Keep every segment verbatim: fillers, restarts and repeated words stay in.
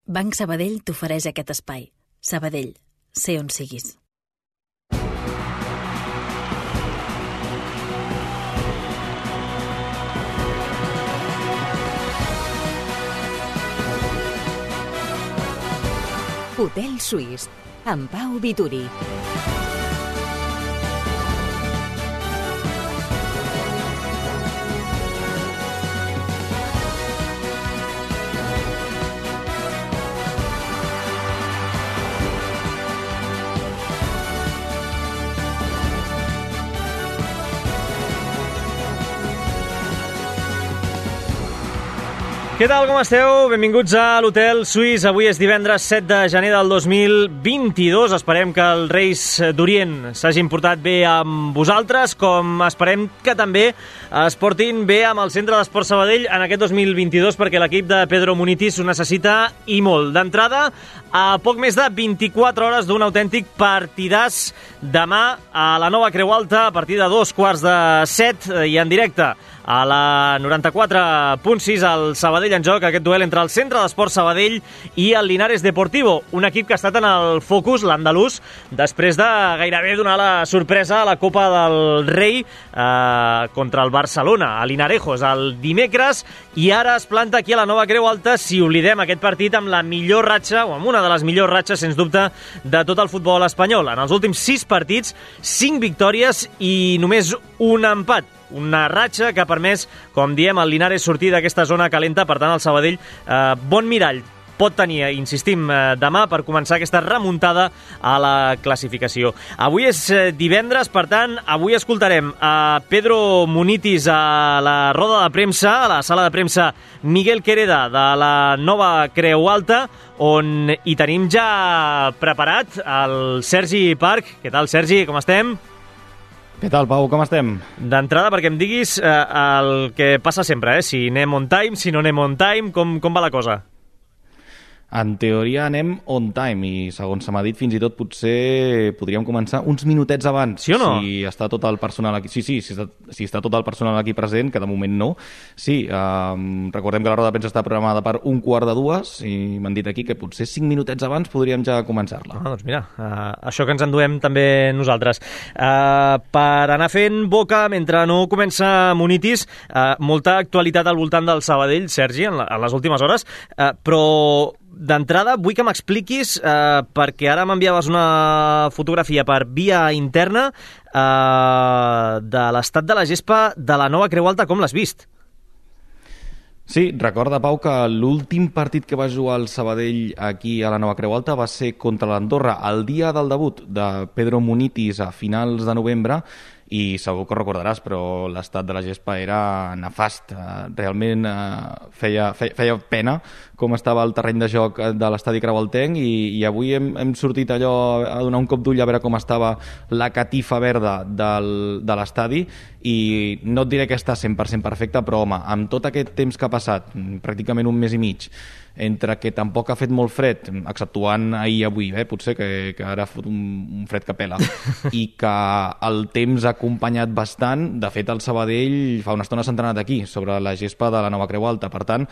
Banc Sabadell t'ofereix aquest espai. Sabadell, sé on siguis. Hotel Suís, amb Pau Vituri. Què tal, com esteu? Benvinguts a l'Hotel Suís. Avui és divendres set de gener del dos mil vint-i-dos. Esperem que els Reis d'Orient s'hagin portat bé amb vosaltres, com esperem que també es portin bé amb el Centre d'Esport Sabadell en aquest dos mil vint-i-dos, perquè l'equip de Pedro Munitis ho necessita i molt. D'entrada, a poc més de vint-i-quatre hores d'un autèntic partidàs demà a la Nova Creu Alta, a partir de dos quarts de set i en directe a la noranta-quatre punt sis al Sabadell en joc, aquest duel entre el Centre d'Esport Sabadell i el Linares Deportivo, un equip que ha estat en el focus, l'andalús, després de gairebé donar la sorpresa a la Copa del Rei eh, contra el Barcelona, a Linarejos, el dimecres, i ara es planta aquí a la Nova Creu Alta, si oblidem aquest partit, amb la millor ratxa, o amb una de les millors ratxes, sens dubte, de tot el futbol espanyol. En els últims sis partits, cinc victòries i només un empat. Una ratxa que ha permès, com diem, el Linares sortir d'aquesta zona calenta. Per tant, el Sabadell, eh, bon mirall pot tenir, insistim, eh, demà per començar aquesta remuntada a la classificació. Avui és eh, divendres, per tant, avui escoltarem a Pedro Munitis a la roda de premsa, a la sala de premsa Miguel Quereda de la Nova Creu Alta, on hi tenim ja preparat el Sergi Parc. Què tal, Sergi? Com estem? Què tal, Pau? Com estem? D'entrada, perquè em diguis eh, el que passa sempre, eh? Si anem on time, si no anem on time, com, com va la cosa? En teoria anem on time i, segons se m'ha dit, fins i tot potser podríem començar uns minutets abans. Sí o no? Si està tot el personal aquí... Sí, sí, si està, si està tot el personal aquí present, que de moment no. Sí, um, recordem que la roda de premsa està programada per un quart de dues i m'han dit aquí que potser cinc minutets abans podríem ja començar-la. Ah, doncs mira, uh, això que ens enduem també nosaltres. Uh, per anar fent boca, mentre no comença Munitis, uh, molta actualitat al voltant del Sabadell, Sergi, en, la, en les últimes hores, uh, però... D'entrada, vull que m'expliquis, eh, perquè ara m'enviaves una fotografia per via interna eh, de l'estat de la gespa de la Nova Creu Alta. Com l'has vist? Sí, recorda, Pau, que l'últim partit que va jugar el Sabadell aquí a la Nova Creu Alta va ser contra l'Andorra el dia del debut de Pedro Munitis a finals de novembre, i segur que ho recordaràs, però l'estat de la gespa era nefast. Realment eh, feia, feia, feia pena com estava el terreny de joc de l'estadi Creualtenc, i, i avui hem, hem sortit allò a donar un cop d'ull a veure com estava la catifa verda del, de l'estadi, i no et diré que està cent per cent perfecta, però home, amb tot aquest temps que ha passat, pràcticament un mes i mig, entre que tampoc ha fet molt fred, exceptuant ahir i avui, eh, potser que, que ara ha fot un, un fred que pela, i que el temps ha acompanyat bastant. De fet, el Sabadell fa una estona s'ha entrenat aquí, sobre la gespa de la Nova Creu Alta. Per tant,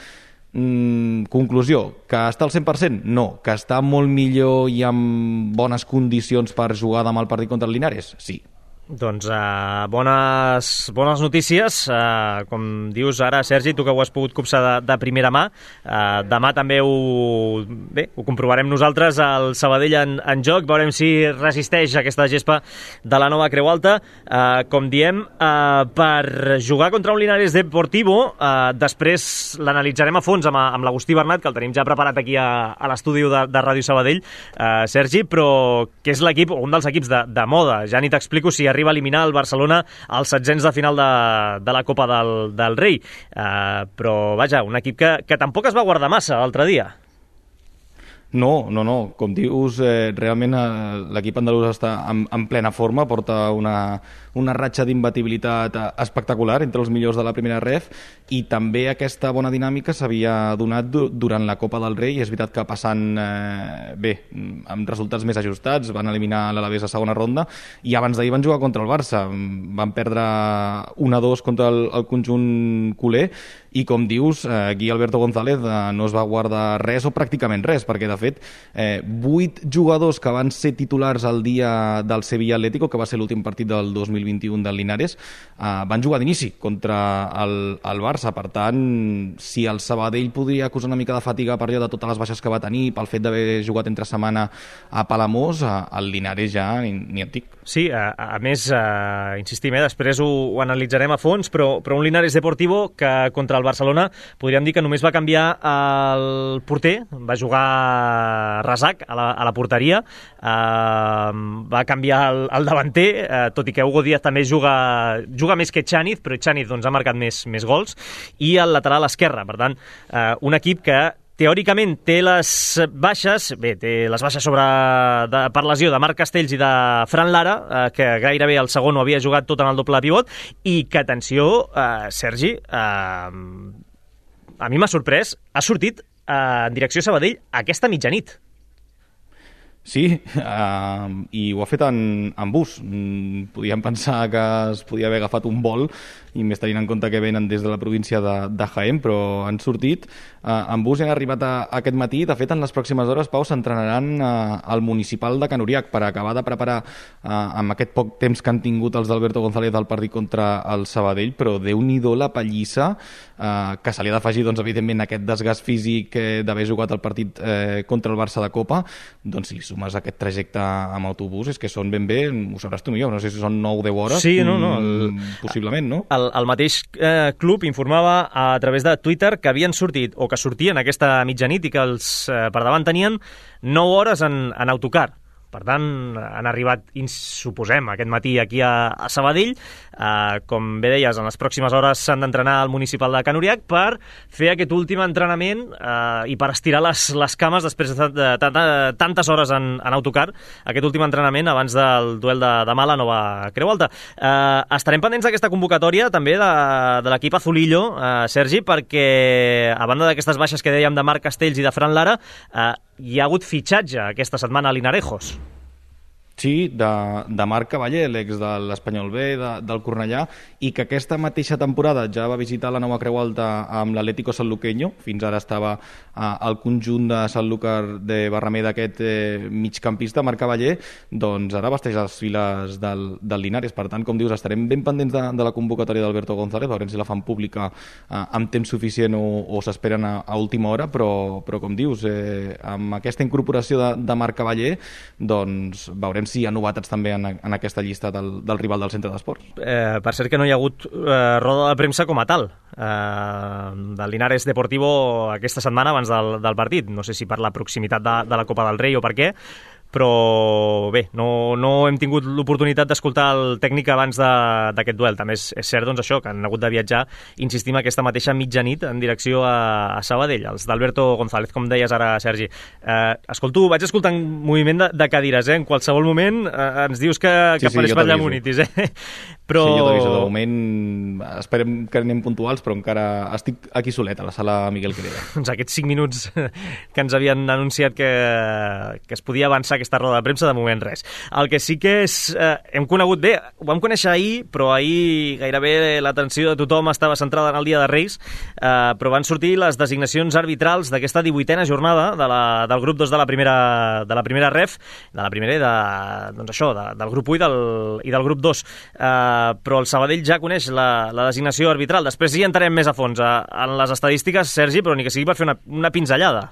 mmm, conclusió, que està al cent per cent? No. Que està molt millor i amb bones condicions per jugar demà el partit contra el Linares? Sí. Doncs uh, bones, bones notícies, uh, com dius ara, Sergi, tu que ho has pogut copsar de, de primera mà. Uh, demà també ho, bé, ho comprovarem nosaltres al Sabadell en, en joc, veurem si resisteix aquesta gespa de la Nova Creu Alta. Uh, com diem, uh, per jugar contra un Linares Deportivo, uh, després l'analitzarem a fons amb, amb l'Agustí Bernat, que el tenim ja preparat aquí a, a l'estudi de, de Ràdio Sabadell, uh, Sergi, però que és l'equip, un dels equips de, de moda. Ja ni t'explico si arriba a eliminar el Barcelona als setzents de final de, de la Copa del, del Rei. Uh, però, vaja, un equip que, que tampoc es va guardar massa l'altre dia. No, no, no. Com dius, eh, realment eh, l'equip andalús està en, en plena forma, porta una, una ratxa d'imbatibilitat espectacular entre els millors de la primera ref, i també aquesta bona dinàmica s'havia donat du durant la Copa del Rei. És veritat que passant eh, bé, amb resultats més ajustats, van eliminar l'Alavés a segona ronda, i abans d'ahir van jugar contra el Barça. Van perdre un a dos contra el, el conjunt culer, i com dius, eh, aquí Alberto González eh, no es va guardar res o pràcticament res, perquè de fet eh, vuit jugadors que van ser titulars el dia del Sevilla Atlético, que va ser l'últim partit del dos mil vint-i-u del Linares, eh, van jugar d'inici contra el, el Barça. Per tant, si el Sabadell podria acusar una mica de fatiga per allò de totes les baixes que va tenir, pel fet d'haver jugat entre setmana a Palamós, eh, el Linares ja ni, ni en dic. Sí, a, a més, eh, insistim, eh, després ho, ho analitzarem a fons, però, però un Linares Deportivo que contra el Barcelona podríem dir que només va canviar el porter, va jugar Razak a la, a la porteria, eh, va canviar el, el davanter, eh, tot i que Hugo Díaz també juga, juga més que Chaniz, però Chaniz doncs, ha marcat més, més gols, i el lateral esquerre. Per tant, eh, un equip que teòricament té les baixes, bé, té les baixes sobre, de, per lesió de Marc Castells i de Fran Lara, eh, que gairebé el segon ho havia jugat tot en el doble pivot, i que, atenció, eh, Sergi, eh, a mi m'ha sorprès, ha sortit eh, en direcció Sabadell aquesta mitjanit. Sí, uh, i ho ha fet en, en bus. Mm, podíem pensar que es podia haver agafat un vol, i més tenint en compte que venen des de la província de, de Jaén, però han sortit uh, en bus i han arribat a, a aquest matí. De fet, en les pròximes hores, Pau, s'entrenaran uh, al municipal de Can Uriac per acabar de preparar uh, amb aquest poc temps que han tingut els d'Alberto González del partit contra el Sabadell, però Déu-n'hi-do la pallissa uh, que se li ha d'afegir, doncs, evidentment, aquest desgast físic eh, d'haver jugat el partit eh, contra el Barça de Copa. Doncs si li sumes aquest trajecte amb autobús, és que són ben bé, ho sabràs tu millor, no sé si són nou o deu hores. Sí, no, no. El, possiblement, no? El, el mateix eh, club informava a través de Twitter que havien sortit, o que sortien aquesta mitjanit, i que els eh, per davant tenien nou hores en, en autocar. Per tant, han arribat, suposem, aquest matí aquí a, a Sabadell. Uh, com bé deies, en les pròximes hores s'han d'entrenar al municipal de Can Uriac per fer aquest últim entrenament uh, i per estirar les, les cames després de, de, de, de tantes hores en, en autocar, aquest últim entrenament abans del duel de demà a la Nova Creu Alta. Uh, estarem pendents d'aquesta convocatòria també de, de l'equip Azulillo, uh, Sergi, perquè a banda d'aquestes baixes que dèiem de Marc Castells i de Fran Lara, uh, hi ha hagut fitxatge aquesta setmana a Linarejos. Sí, de, de Marc Cavaller, l'ex de l'Espanyol B, de, del Cornellà, i que aquesta mateixa temporada ja va visitar la Nova Creu Alta amb l'Atlético Sanluqueño. Fins ara estava eh, al conjunt de Sanlúcar de Barrameda, aquest eh, migcampista, Marc Cavaller, doncs ara vesteix les files del, del Linares. Per tant, com dius, estarem ben pendents de, de la convocatòria d'Alberto González, veurem si la fan pública eh, amb temps suficient o, o s'esperen a, a última hora, però, però com dius, eh, amb aquesta incorporació de, de Marc Cavaller, doncs veurem si hi ha novetats també en, en aquesta llista del, del rival del centre d'esports. Eh, per cert que no hi ha hagut eh, roda de premsa com a tal eh, del Linares Deportivo aquesta setmana abans del, del partit. No sé si per la proximitat de, de la Copa del Rei o per què, però bé, no, no hem tingut l'oportunitat d'escoltar el tècnic abans d'aquest duel. També és, és cert, doncs, això, que han hagut de viatjar, insistim, aquesta mateixa mitjanit en direcció a, a Sabadell, els d'Alberto González, com deies ara, Sergi. Eh, escolto, vaig escoltant moviment de, de cadires, eh? En qualsevol moment eh, ens dius que, que sí, sí, apareix per allà Munitis, eh? Però... Sí, jo t'aviso, de moment esperem que anem puntuals, però encara estic aquí solet, a la sala Miguel Quereda. Doncs aquests cinc minuts que ens havien anunciat que, que es podia avançar aquesta roda de premsa, de moment res. El que sí que és... Eh, hem conegut bé, ho vam conèixer ahir, però ahir gairebé l'atenció de tothom estava centrada en el dia de Reis, eh, però van sortir les designacions arbitrals d'aquesta divuitena jornada de la, del grup dos de la primera, de la primera ref, de la primera i de, doncs això, de, del grup u i del, i del grup dos. Eh, però el Sabadell ja coneix la, la designació arbitral. Després hi entrarem més a fons a, en les estadístiques, Sergi, però ni que sigui per fer una, una pinzellada.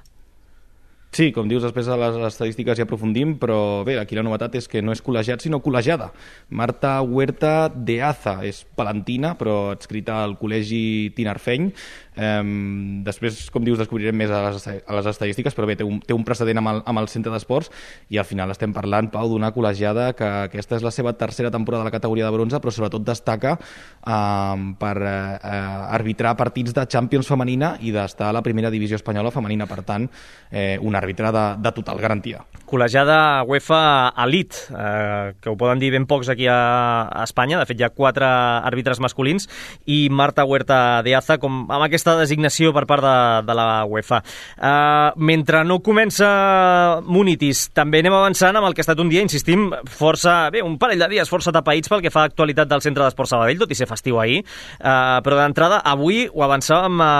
Sí, com dius, després de les estadístiques hi aprofundim, però bé, aquí la novetat és que no és col·legiat, sinó col·legiada. Marta Huerta de Aza és palentina, però adscrita al col·legi tinarfeny. Um, després, com dius, descobrirem més a les, a les estadístiques, però bé, té un, té un precedent amb el, amb el centre d'esports, i al final estem parlant, Pau, d'una col·legiada que aquesta és la seva tercera temporada a la categoria de bronze, però sobretot destaca um, per uh, arbitrar partits de Champions femenina i d'estar a la primera divisió espanyola femenina. Per tant, eh, una àrbitre de, de total garantia. Col·legiada UEFA Elite, eh, que ho poden dir ben pocs aquí a, a Espanya. De fet, hi ha quatre àrbitres masculins i Marta Huerta de Aza com, amb aquesta designació per part de, de la UEFA. Eh, mentre no comença Munitis, també anem avançant amb el que ha estat un dia, insistim, força, bé, un parell de dies força tapaïts pel que fa a l'actualitat del Centre d'Esport Sabadell, tot i ser festiu ahir. Eh, però d'entrada, avui ho avançàvem a,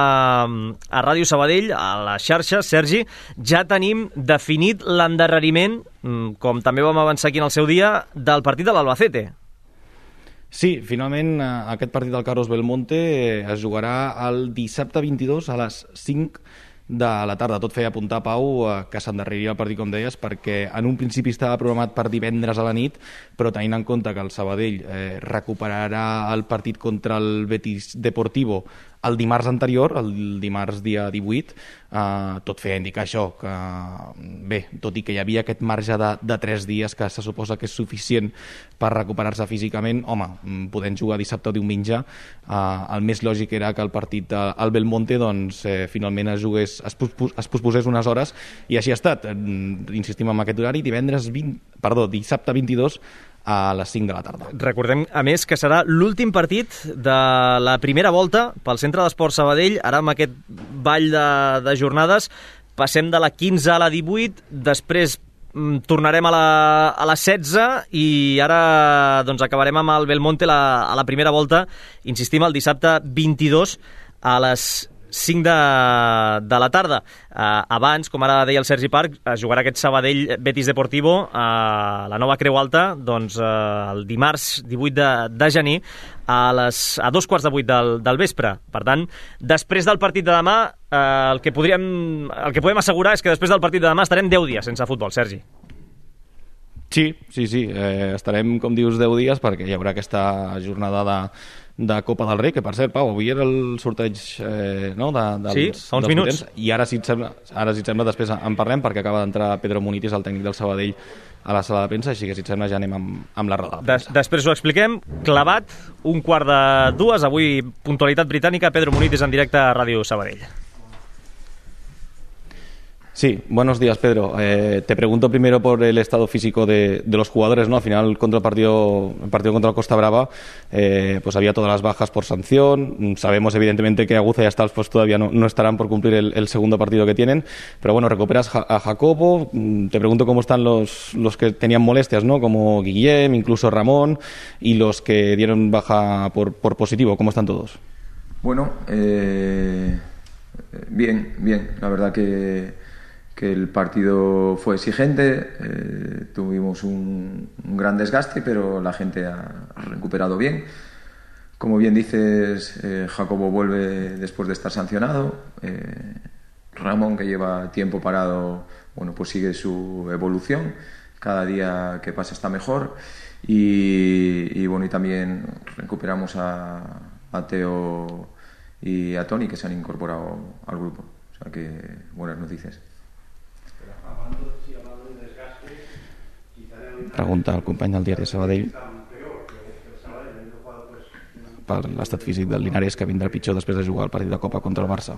a Ràdio Sabadell, a les xarxes, Sergi, ja tenim definit l'endarreriment, com també vam avançar aquí en el seu dia, del partit de l'Albacete. Sí, finalment aquest partit del Carlos Belmonte es jugarà el dissabte vint-i-dos a les cinc de la tarda. Tot feia apuntar, Pau, que s'endarreria el partit, com deies, perquè en un principi estava programat per divendres a la nit, però tenint en compte que el Sabadell eh, recuperarà el partit contra el Betis Deportivo el dimarts anterior, el dimarts dia divuit, eh, tot feia indicar això, que bé, tot i que hi havia aquest marge de, de tres dies que se suposa que és suficient per recuperar-se físicament, home, podent jugar dissabte o diumenge, eh, el més lògic era que el partit al Belmonte doncs, eh, finalment es jugués, es, pospos, es posposés unes hores, i així ha estat. Insistim en aquest horari, divendres vint, perdó, dissabte vint-i-dos a les cinc de la tarda. Recordem, a més, que serà l'últim partit de la primera volta pel Centre d'Esport Sabadell. Ara, amb aquest ball de, de jornades, passem de la quinze a la divuit, després mm, tornarem a la, a la setze i ara doncs, acabarem amb el Belmonte la, a la primera volta. Insistim, el dissabte vint-i-dos a les cinc de, de la tarda. Uh, abans, com ara deia el Sergi Parc, es jugarà aquest Sabadell Betis Deportivo a la nova Creu Alta, doncs uh, el dimarts divuit de, de gener a, les, a dos quarts de vuit del, del vespre. Per tant, després del partit de demà, uh, el, que podríem, el que podem assegurar és que després del partit de demà estarem deu dies sense futbol, Sergi. Sí, sí, sí. Eh, estarem, com dius, deu dies perquè hi haurà aquesta jornada de, de Copa del Rei, que per cert, Pau, avui era el sorteig eh, no, de, dels, sí, fa uns minuts. Potents, i ara si, et sembla, ara, si et sembla, després en parlem, perquè acaba d'entrar Pedro Munitis, el tècnic del Sabadell, a la sala de premsa, així que si et sembla ja anem amb, amb la roda de premsa. Des, després ho expliquem. Clavat, un quart de dues, avui puntualitat britànica, Pedro Munitis en directe a Ràdio Sabadell. Sí, buenos días, Pedro. Eh, te pregunto primero por el estado físico de, de los jugadores, ¿no? Al final, contra el partido, el partido contra el Costa Brava, eh, pues había todas las bajas por sanción. Sabemos, evidentemente, que Aguza y Astals pues todavía no, no estarán por cumplir el, el segundo partido que tienen. Pero bueno, recuperas a Jacobo. Te pregunto cómo están los, los que tenían molestias, ¿no? Como Guillem, incluso Ramón, y los que dieron baja por, por positivo. ¿Cómo están todos? Bueno, eh, bien, bien. La verdad que... que el partido fue exigente, eh, tuvimos un, un gran desgaste, pero la gente ha recuperado bien. Como bien dices, eh, Jacobo vuelve después de estar sancionado. Eh, Ramón, que lleva tiempo parado, bueno, pues sigue su evolución. Cada día que pasa está mejor. Y, y bueno, y también recuperamos a, a Teo y a Toni, que se han incorporado al grupo. O sea que buenas noticias. Pregunta al company del diari Sabadell per l'estat físic del Linares, que vindrà pitjor després de jugar el partit de Copa contra el Barça.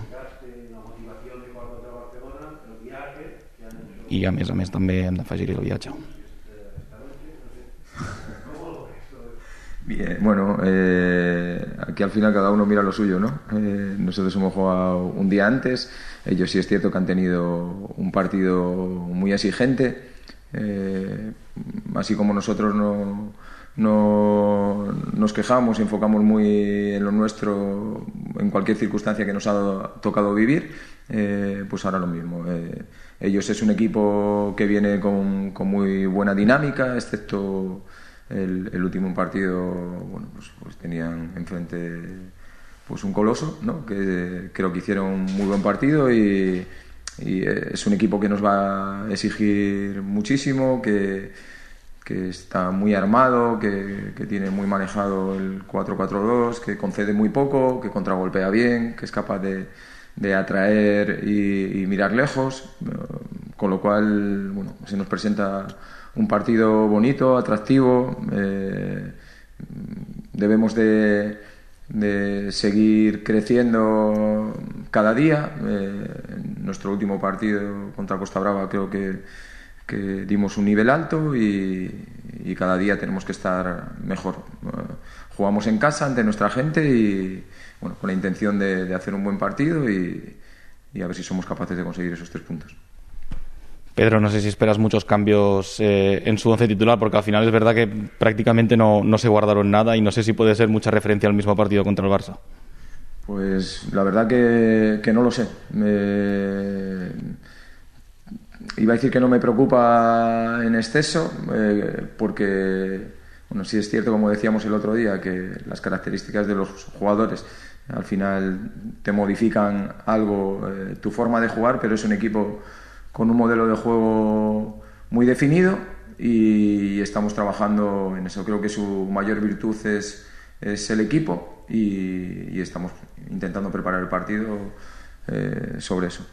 I a més a més també hem d'afegir-hi el viatge. Bien, bueno, eh, aquí al final cada uno mira lo suyo, ¿no? Eh, nosotros hemos jugado un día antes, ellos sí es cierto que han tenido un partido muy exigente, eh, así como nosotros no, no nos quejamos y enfocamos muy en lo nuestro en cualquier circunstancia que nos ha tocado vivir, eh, pues ahora lo mismo. Eh, ellos es un equipo que viene con, con muy buena dinámica, excepto el, el último partido, bueno, pues, pues tenían enfrente pues un coloso, ¿no? Que creo que hicieron un muy buen partido y, y es un equipo que nos va a exigir muchísimo, que, que está muy armado, que, que tiene muy manejado el cuatro cuatro dos, que concede muy poco, que contragolpea bien, que es capaz de, de atraer y, y mirar lejos, con lo cual, bueno, se nos presenta un partido bonito, atractivo. Eh, debemos de de seguir creciendo cada día. Eh, en nuestro último partido contra Costa Brava creo que, que dimos un nivel alto y, y cada día tenemos que estar mejor. Eh, jugamos en casa ante nuestra gente y bueno, con la intención de, de hacer un buen partido y, y a ver si somos capaces de conseguir esos tres puntos. Pedro, no sé si esperas muchos cambios eh, en su once titular, porque al final es verdad que prácticamente no, no se guardaron nada y no sé si puede ser mucha referencia al mismo partido contra el Barça. Pues la verdad que, que no lo sé. Me... Iba a decir que no me preocupa en exceso, eh, porque bueno, sí es cierto, como decíamos el otro día, que las características de los jugadores al final te modifican algo, eh, tu forma de jugar, pero es un equipo con un modelo de juego muy definido y estamos trabajando en eso. Creo que su mayor virtud es, es el equipo y, y estamos intentando preparar el partido eh, sobre eso.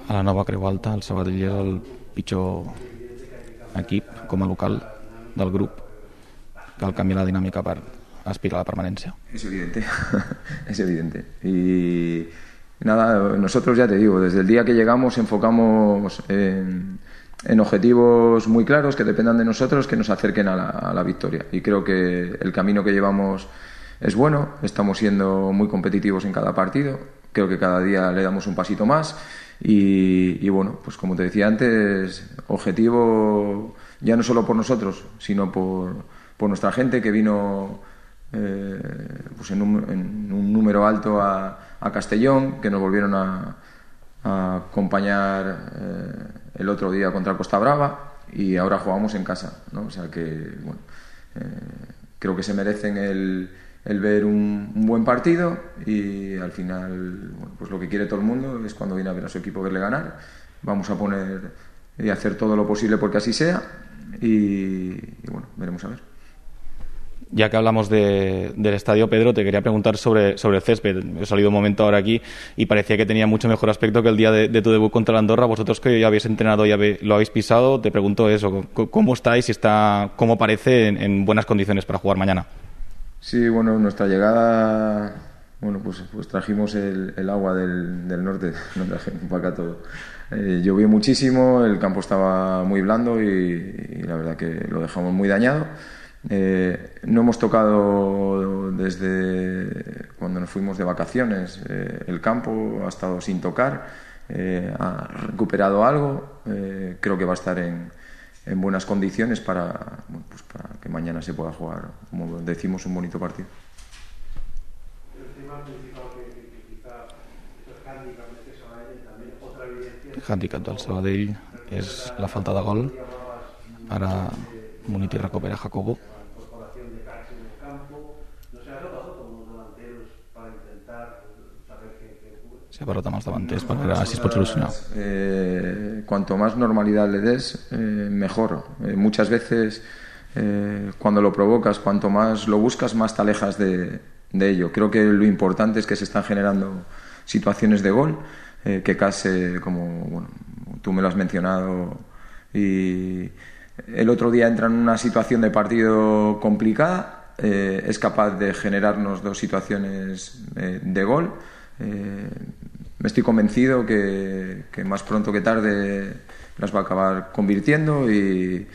A la nova Creu Alta, el Sabadell és el pitjor equip com a local del grup. Cal canviar la dinàmica per aspirar a la permanencia. Es evidente, es evidente. Y nada, nosotros ya te digo, desde el día que llegamos enfocamos en, en objetivos muy claros que dependan de nosotros, que nos acerquen a la, a la victoria. Y creo que el camino que llevamos es bueno, estamos siendo muy competitivos en cada partido, creo que cada día le damos un pasito más y, y bueno, pues como te decía antes, objetivo ya no solo por nosotros, sino por, por nuestra gente que vino Eh, pues en, un, en un número alto a, a Castellón, que nos volvieron a, a acompañar eh, el otro día contra Costa Brava y ahora jugamos en casa, ¿no? O sea que bueno, eh, creo que se merecen el, el ver un, un buen partido y al final bueno, pues lo que quiere todo el mundo es cuando viene a ver a su equipo verle ganar. Vamos a poner y hacer todo lo posible porque así sea y, y bueno, veremos a ver. Ya que hablamos de, del estadio, Pedro, te quería preguntar sobre, sobre el césped. He salido un momento ahora aquí y parecía que tenía mucho mejor aspecto que el día de, de tu debut contra la Andorra. Vosotros que ya habéis entrenado y habe, lo habéis pisado, te pregunto eso, ¿cómo estáis y está, cómo parece en, en buenas condiciones para jugar mañana? Sí, bueno, nuestra llegada, bueno, pues, pues trajimos el, el agua del, del norte, no trajimos para acá todo. Eh, llovió muchísimo, el campo estaba muy blando y, y la verdad que lo dejamos muy dañado. Eh, no hemos tocado desde cuando nos fuimos de vacaciones, eh, el campo ha estado sin tocar, eh, ha recuperado algo, eh, creo que va a estar en, en buenas condiciones para, bueno, pues para que mañana se pueda jugar, como decimos, un bonito partido. El hàndicap del Sabadell és la falta de gol. Ara Muniti recupera Jacobo. Se ha parlat amb els davanters per veure si es pot solucionar. Eh, cuanto más normalidad le des, eh, mejor. Eh, muchas veces, eh, cuando lo provocas, cuanto más lo buscas, más te alejas de, de ello. Creo que lo importante es que se están generando situaciones de gol, eh, que casi, como bueno, tú me lo has mencionado, y el otro día entra en una situación de partido complicada, eh, es capaz de generarnos dos situaciones eh, de gol. Eh, me estoy convencido que, que más pronto que tarde las va a acabar convirtiendo y,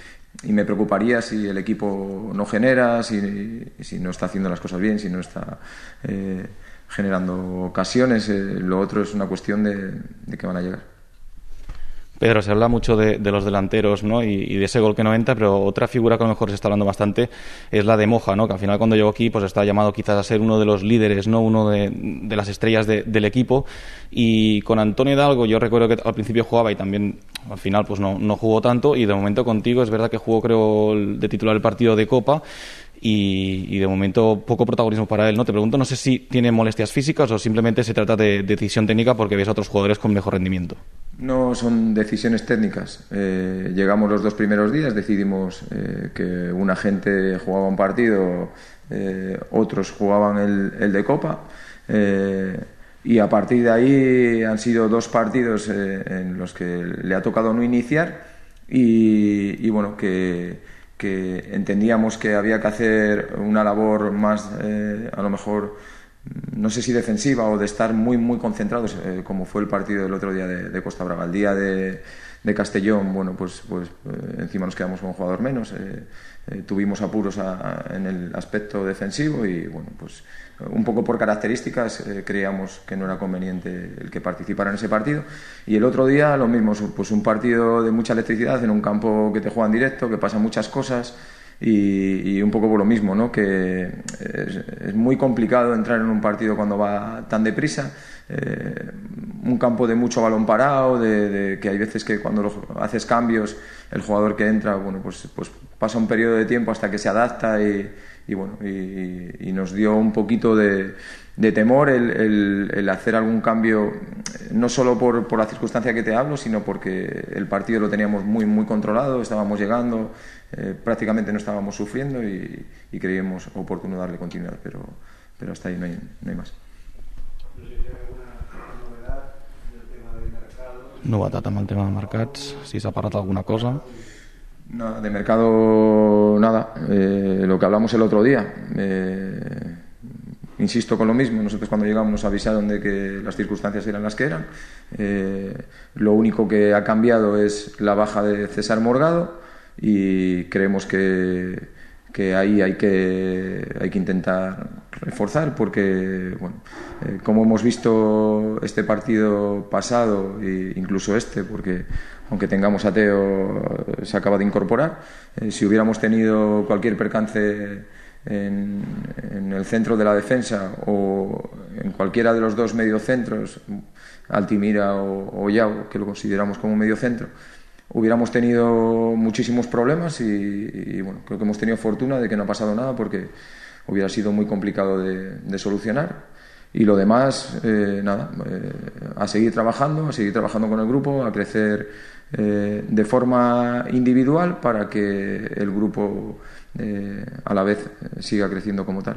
y me preocuparía si el equipo no genera, si, si no está haciendo las cosas bien, si no está eh, generando ocasiones. Eh, lo otro es una cuestión de, de que van a llegar. Pedro, se habla mucho de, de los delanteros, ¿no? y, y de ese gol que no entra, pero otra figura que a lo mejor se está hablando bastante es la de Moja, ¿no? Que al final cuando llegó aquí pues está llamado quizás a ser uno de los líderes, ¿no? Uno de, de las estrellas de, del equipo, y con Antonio Hidalgo yo recuerdo que al principio jugaba y también al final pues no, no jugó tanto, y de momento contigo es verdad que jugó, creo, de titular el partido de Copa. Y, y de momento poco protagonismo para él, ¿no? Te pregunto, no sé si tiene molestias físicas o simplemente se trata de, de decisión técnica porque ves a otros jugadores con mejor rendimiento. No son decisiones técnicas. Eh, llegamos los dos primeros días, decidimos eh, que una gente jugaba un partido, eh, otros jugaban el, el de Copa, eh, y a partir de ahí han sido dos partidos eh, en los que le ha tocado no iniciar y, y bueno, que que entendíamos que había que hacer una labor más, eh, a lo mejor, no sé si defensiva o de estar muy, muy concentrados, eh, como fue el partido del otro día de, de Costa Brava. El día de, de Castellón, bueno, pues, pues eh, encima nos quedamos con un jugador menos, eh, eh, tuvimos apuros a, a, en el aspecto defensivo y, bueno, pues un poco por características eh, creíamos que no era conveniente el que participara en ese partido. Y el otro día lo mismo, pues un partido de mucha electricidad en un campo que te juega en directo, que pasan muchas cosas y, y un poco por lo mismo, ¿no? Que es, es muy complicado entrar en un partido cuando va tan deprisa, eh, un campo de mucho balón parado, de, de que hay veces que cuando lo, haces cambios el jugador que entra, bueno, pues, pues pasa un periodo de tiempo hasta que se adapta y Y bueno, y, y nos dio un poquito de, de temor el, el, el hacer algún cambio, no solo por, por la circunstancia que te hablo, sino porque el partido lo teníamos muy, muy controlado, estábamos llegando, eh, prácticamente no estábamos sufriendo y, y creíamos oportuno darle continuidad, pero, pero hasta ahí no hay, no hay más. Novetat amb el tema de mercats, si s'ha parlat alguna cosa. Nada, de mercado nada, eh, lo que hablamos el otro día, eh, insisto con lo mismo, nosotros cuando llegamos nos avisaron de que las circunstancias eran las que eran, eh, lo único que ha cambiado es la baja de César Morgado y creemos que, que ahí hay que, hay que intentar reforzar porque, bueno, eh, como hemos visto este partido pasado e incluso este, porque aunque tengamos a Teo, se acaba de incorporar. Eh, si hubiéramos tenido cualquier percance en, en el centro de la defensa o en cualquiera de los dos mediocentros, Altimira o, o Yao, que lo consideramos como mediocentro, hubiéramos tenido muchísimos problemas y, y bueno, creo que hemos tenido fortuna de que no ha pasado nada porque hubiera sido muy complicado de, de solucionar. Y lo demás, eh, nada, eh, a seguir trabajando, a seguir trabajando con el grupo, a crecer eh, de forma individual para que el grupo eh, a la vez siga creciendo como tal.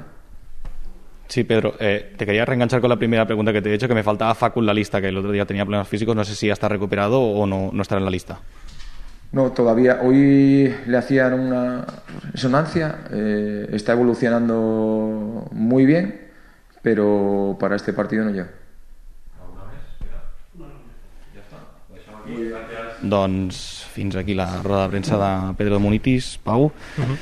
Sí, Pedro, eh, te quería reenganchar con la primera pregunta que te he hecho, que me faltaba Facu en la lista, que el otro día tenía problemas físicos, no sé si ya está recuperado o no, no estará en la lista. No, todavía. Hoy le hacían una resonancia, eh, está evolucionando muy bien, pero para este partido no llega. Doncs fins aquí la roda de premsa de Pedro Munitis, Pau, uh-huh.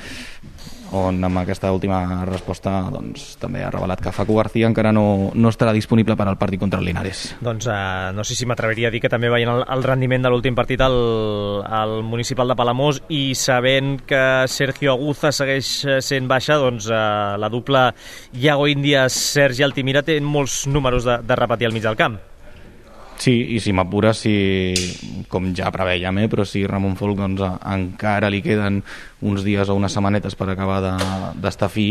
on amb aquesta última resposta doncs, també ha revelat que Facu García encara no, no estarà disponible per al partit contra el Linares. Doncs uh, no sé si m'atreviria a dir que també veient el, el rendiment de l'últim partit al, al Municipal de Palamós i sabent que Sergio Aguza segueix sent baixa, doncs uh, la dupla Iago Índias, Sergi Altimira té molts números de, de repetir al mig del camp. Sí, i si m'apures, si, com ja preveiem, eh, però si Ramon Folk doncs, encara li queden uns dies o unes setmanetes per acabar de, d'estar fi,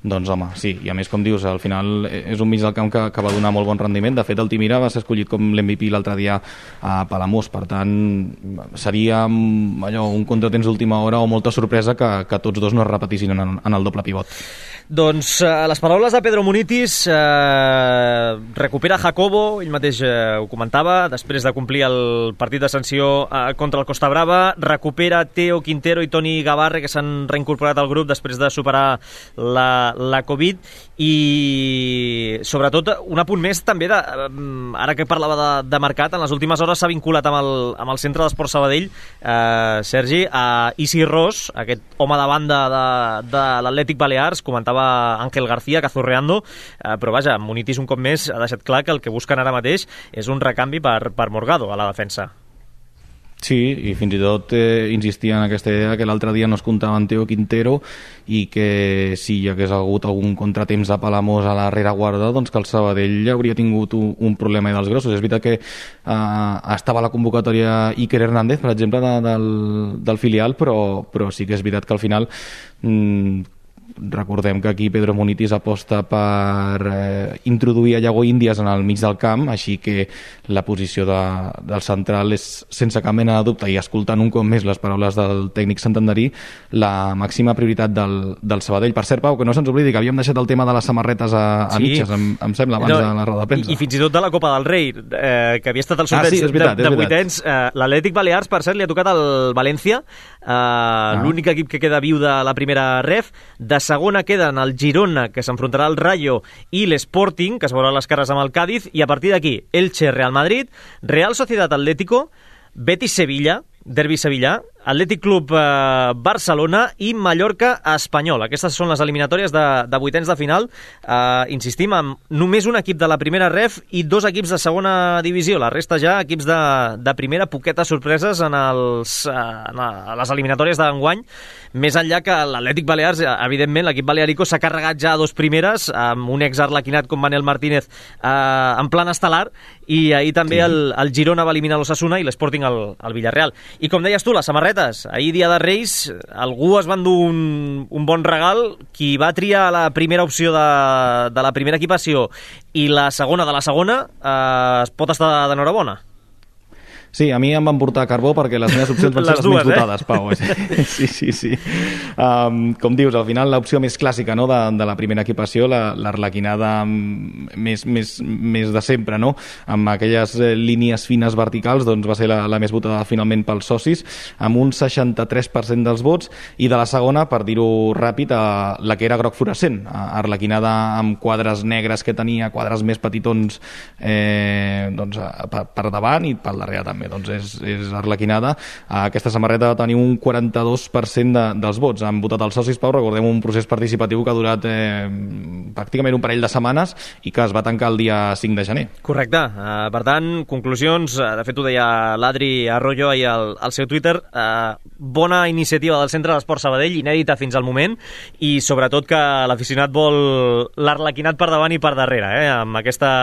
doncs home, sí, i a més com dius, al final és un mig del camp que, que va donar molt bon rendiment. De fet, Altimira va ser escollit com l'M V P l'altre dia a Palamós, per tant seria allò, un contratemps d'última hora o molta sorpresa que, que tots dos no es repetissin en, en el doble pivot. Doncs eh, les paraules de Pedro Munitis, eh, recupera Jacobo, ell mateix eh, ho comentava, després de complir el partit de sanció eh, contra el Costa Brava, recupera Teo Quintero i Toni Gavarre, que s'han reincorporat al grup després de superar la, la Covid, i sobretot un apunt més també, de, ara que parlava de, de mercat, en les últimes hores s'ha vinculat amb el, amb el Centre d'Esport Sabadell, eh, Sergi, a Isi Ros, aquest home de banda de, de l'Atlètic Balears, comentava Ángel García, cazurreando, eh, però vaja, Munitis un cop més ha deixat clar que el que busquen ara mateix és un recanvi per, per Morgado a la defensa. Sí, i fins i tot eh, insistia en aquesta idea que l'altre dia no es comptava en Teo Quintero i que si hi hagués hagut algun contratemps de Palamós a la rereguarda, doncs que el Sabadell hauria tingut un, un problema dels grossos. És veritat que eh, estava a la convocatòria Iker Hernández, per exemple, de, del, del filial, però, però sí que és veritat que al final mm, recordem que aquí Pedro Munitis aposta per eh, introduir a Iago Índias en el mig del camp, així que la posició de, del central és sense cap mena de dubte, i escoltant un cop més les paraules del tècnic santanderí, la màxima prioritat del, del Sabadell. Per cert, Pau, que no se'ns oblidi que havíem deixat el tema de les samarretes a, a sí. mitges, em, em sembla, abans no, de la roda de premsa. I, I fins i tot de la Copa del Rei, eh, que havia estat el sorteig ah, sí, veritat, de, de vuitens. Eh, L'Atlètic Balears, per cert, li ha tocat el València, eh, ah. l'únic equip que queda viu de la primera ref. De segona queden el Girona, que s'enfrontarà al Rayo, i l'Sporting, que es veurà les cares amb el Cádiz, i a partir d'aquí, Elche, Real Madrid, Real Sociedad Atlético, Betis Sevilla, derbi sevillà, Atlètic Club eh, Barcelona i Mallorca Espanyol. Aquestes són les eliminatòries de, de vuitens de final. Eh, insistim, amb només un equip de la primera ref i dos equips de segona divisió. La resta ja equips de, de primera, poquetes sorpreses en, els, eh, en les eliminatòries d'enguany. Més enllà que l'Atlètic Balears, evidentment, l'equip balearico s'ha carregat ja a dos primeres, amb un ex-arlequinat com Manel Martínez eh, en plan estel·lar, i ahir també sí. el, el Girona va eliminar l'Osasuna i l'Sporting el, el Villarreal. I com deies tu, les samarretes, ahir dia de Reis, algú es va endur un, un bon regal. Qui va triar la primera opció de, de la primera equipació i la segona de la segona, eh, es pot estar d'enhorabona. Sí, a mi em van portar carbó perquè les meves opcions van ser les, les dues, menys votades, eh? Pau. Sí, sí, sí. Um, com dius, al final l'opció més clàssica, no, de, de la primera equipació, l'arlequinada més, més, més de sempre, no? Amb aquelles línies fines verticals, doncs va ser la, la més votada finalment pels socis, amb un seixanta-tres per cent dels vots, i de la segona, per dir-ho ràpid, a la que era groc fluorescent, arlequinada amb quadres negres que tenia, quadres més petitons eh, doncs, per, per davant i per darrere també. Doncs és, és arlequinada. Aquesta samarreta va tenir un quaranta-dos per cent de, dels vots. Han votat els socis, Pau, recordem, un procés participatiu que ha durat eh, pràcticament un parell de setmanes i que es va tancar el dia cinc de gener. Correcte. Uh, per tant, conclusions, uh, de fet ho deia l'Adri Arroyo ahir al, al seu Twitter, uh, bona iniciativa del Centre d'Esport Sabadell, inèdita fins al moment, i sobretot que l'aficionat vol l'arlequinat per davant i per darrere, eh, amb aquesta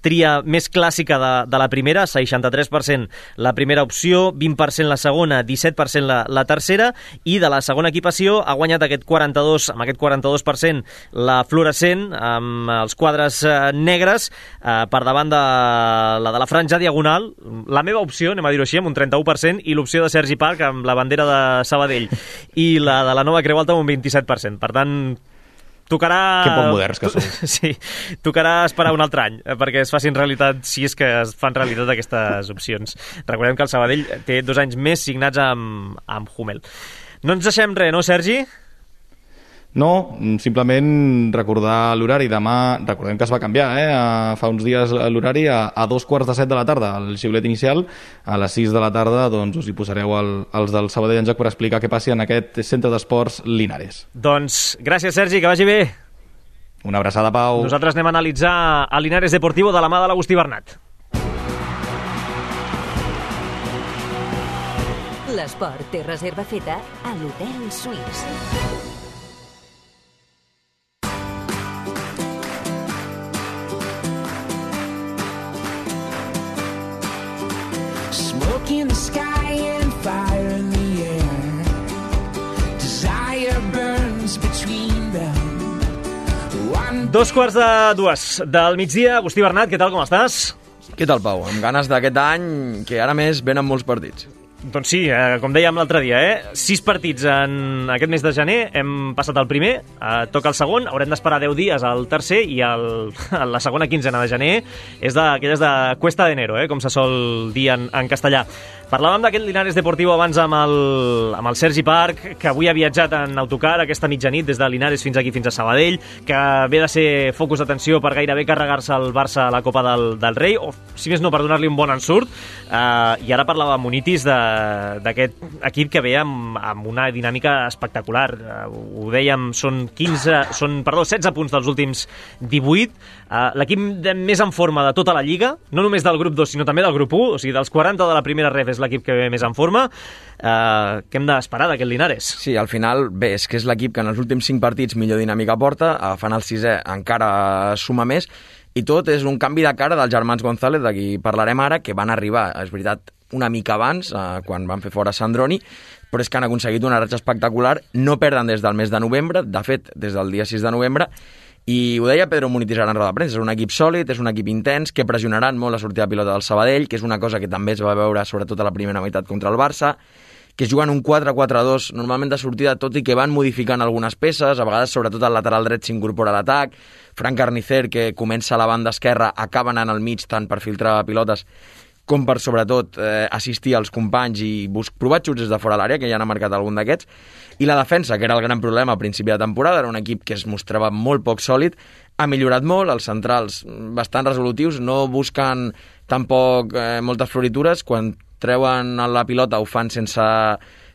tria més clàssica de, de la primera, seixanta-tres per cent la primera opció, vint per cent la segona, disset per cent la, la tercera, i de la segona equipació ha guanyat aquest quaranta-dos, amb aquest quaranta-dos per cent la fluorescent, amb els quadres eh, negres, eh, per davant de la de la franja diagonal, la meva opció, anem a dir-ho així, amb un trenta-u per cent, i l'opció de Sergi Parc amb la bandera de Sabadell, i la de la Nova Creu Alta amb un vint-i-set per cent. Per tant, tocarà... Que poc moderns que sou. Sí, tocarà esperar un altre any perquè es facin realitat, si és que es fan realitat aquestes opcions. Recordem que el Sabadell té dos anys més signats amb, amb Hummel. No ens deixem res, no, Sergi? No, simplement recordar l'horari. Demà, recordem que es va canviar, eh? Fa uns dies l'horari a, a dos quarts de set de la tarda, el xiulet inicial. A les sis de la tarda doncs, us hi posareu el, els del Sabadell en joc per explicar què passi en aquest centre d'esports Linares. Doncs gràcies, Sergi, que vagi bé. Una abraçada, Pau. Nosaltres anem a analitzar el Linares Deportivo de la mà de l'Agustí Bernat. L'esport té reserva feta a l'Hotel Suís. In the sky and fire in the air, desire burns between them. One... Dos quarts de dues del migdia. Agustí Bernat, què tal, com estàs? Què tal, Pau? Amb ganes d'aquest any, que ara més venen molts partits. Doncs sí, eh, com dèiem l'altre dia, eh? sis partits en aquest mes de gener, hem passat el primer, eh, toca el segon, haurem d'esperar deu dies al tercer, i el, la segona quinzena de gener és d'aquelles de cuesta de enero, eh? Com se sol dir en, en castellà. Parlàvem d'aquest Linares Deportivo abans amb el, amb el Sergi Parc, que avui ha viatjat en autocar aquesta mitjanit des de Linares fins aquí, fins a Sabadell, que ve de ser focus d'atenció per gairebé carregar-se el Barça a la Copa del, del Rei, o si més no, per donar-li un bon ensurt. Eh, I ara parlava amb Munitis d'aquest equip que ve amb, amb una dinàmica espectacular. Eh, ho dèiem, són, quinze, són perdó, setze punts dels últims divuit. Eh, L'equip més en forma de tota la Lliga, no només del grup dos, sinó també del grup u, o sigui, dels quaranta de la primera ref és l'equip que ve més en forma. Eh, què hem d'esperar d'aquest Linares? Sí, al final, bé, és que és l'equip que en els últims cinc partits millor dinàmica porta, agafant el sisè encara suma més, i tot és un canvi de cara dels germans González, de qui parlarem ara, que van arribar, és veritat, una mica abans, eh, quan van fer fora Sandroni, però és que han aconseguit una ratxa espectacular, no perden des del mes de novembre, de fet, des del dia sis de novembre, i ho deia Pedro Munitis ara en roda de premsa, és un equip sòlid, és un equip intens, que pressionaran molt la sortida de pilota del Sabadell, que és una cosa que també es va veure sobretot a la primera meitat contra el Barça, que es juguen un quatre quatre dos normalment de sortida, tot i que van modificant algunes peces, a vegades sobretot al lateral dret s'incorpora a l'atac, Fran Carnicer, que comença a la banda esquerra, acaba anant al mig tant per filtrar pilotes com per, sobretot, eh, assistir als companys i bus- provar xuts des de fora de l'àrea, que ja n'ha marcat algun d'aquests, i la defensa, que era el gran problema a principi de temporada, era un equip que es mostrava molt poc sòlid, ha millorat molt, els centrals bastant resolutius, no busquen tampoc eh, moltes floritures, quan treuen la pilota ho fan sense,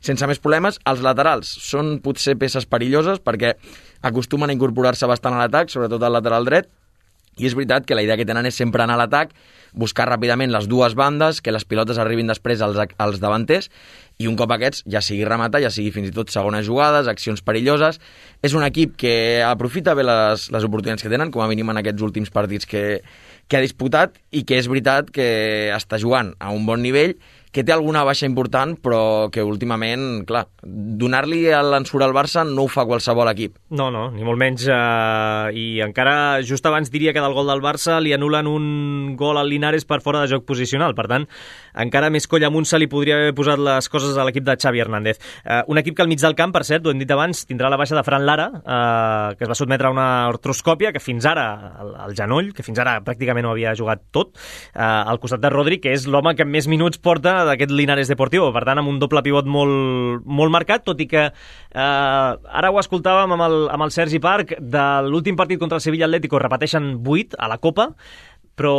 sense més problemes. Els laterals són potser peces perilloses perquè acostumen a incorporar-se bastant a l'atac, sobretot al lateral dret, i és veritat que la idea que tenen és sempre anar a l'atac, buscar ràpidament les dues bandes, que les pilotes arribin després als, als davanters, i un cop aquests, ja sigui rematar, ja sigui fins i tot segones jugades, accions perilloses. És un equip que aprofita bé les, les oportunitats que tenen, com a mínim en aquests últims partits que, que ha disputat, i que és veritat que està jugant a un bon nivell, que té alguna baixa important, però que últimament, clar, donar-li l'ensurt al Barça no ho fa qualsevol equip. No, no, ni molt menys. Eh, I encara just abans diria que del gol del Barça li anulen un gol al Linares per fora de joc posicional. Per tant, encara més coll amunt se li podria haver posat les coses a l'equip de Xavi Hernández. Eh, un equip que al mig del camp, per cert, ho hem dit abans, tindrà la baixa de Fran Lara, eh, que es va sotmetre a una artroscòpia, que fins ara, el, el genoll, que fins ara pràcticament ho havia jugat tot, eh, al costat de Rodri, que és l'home que més minuts porta d'aquest Linares Deportivo, per tant amb un doble pivot molt, molt marcat, tot i que eh, ara ho escoltàvem amb el, amb el Sergi Parc, de l'últim partit contra el Sevilla Atlético repeteixen vuit a la Copa, però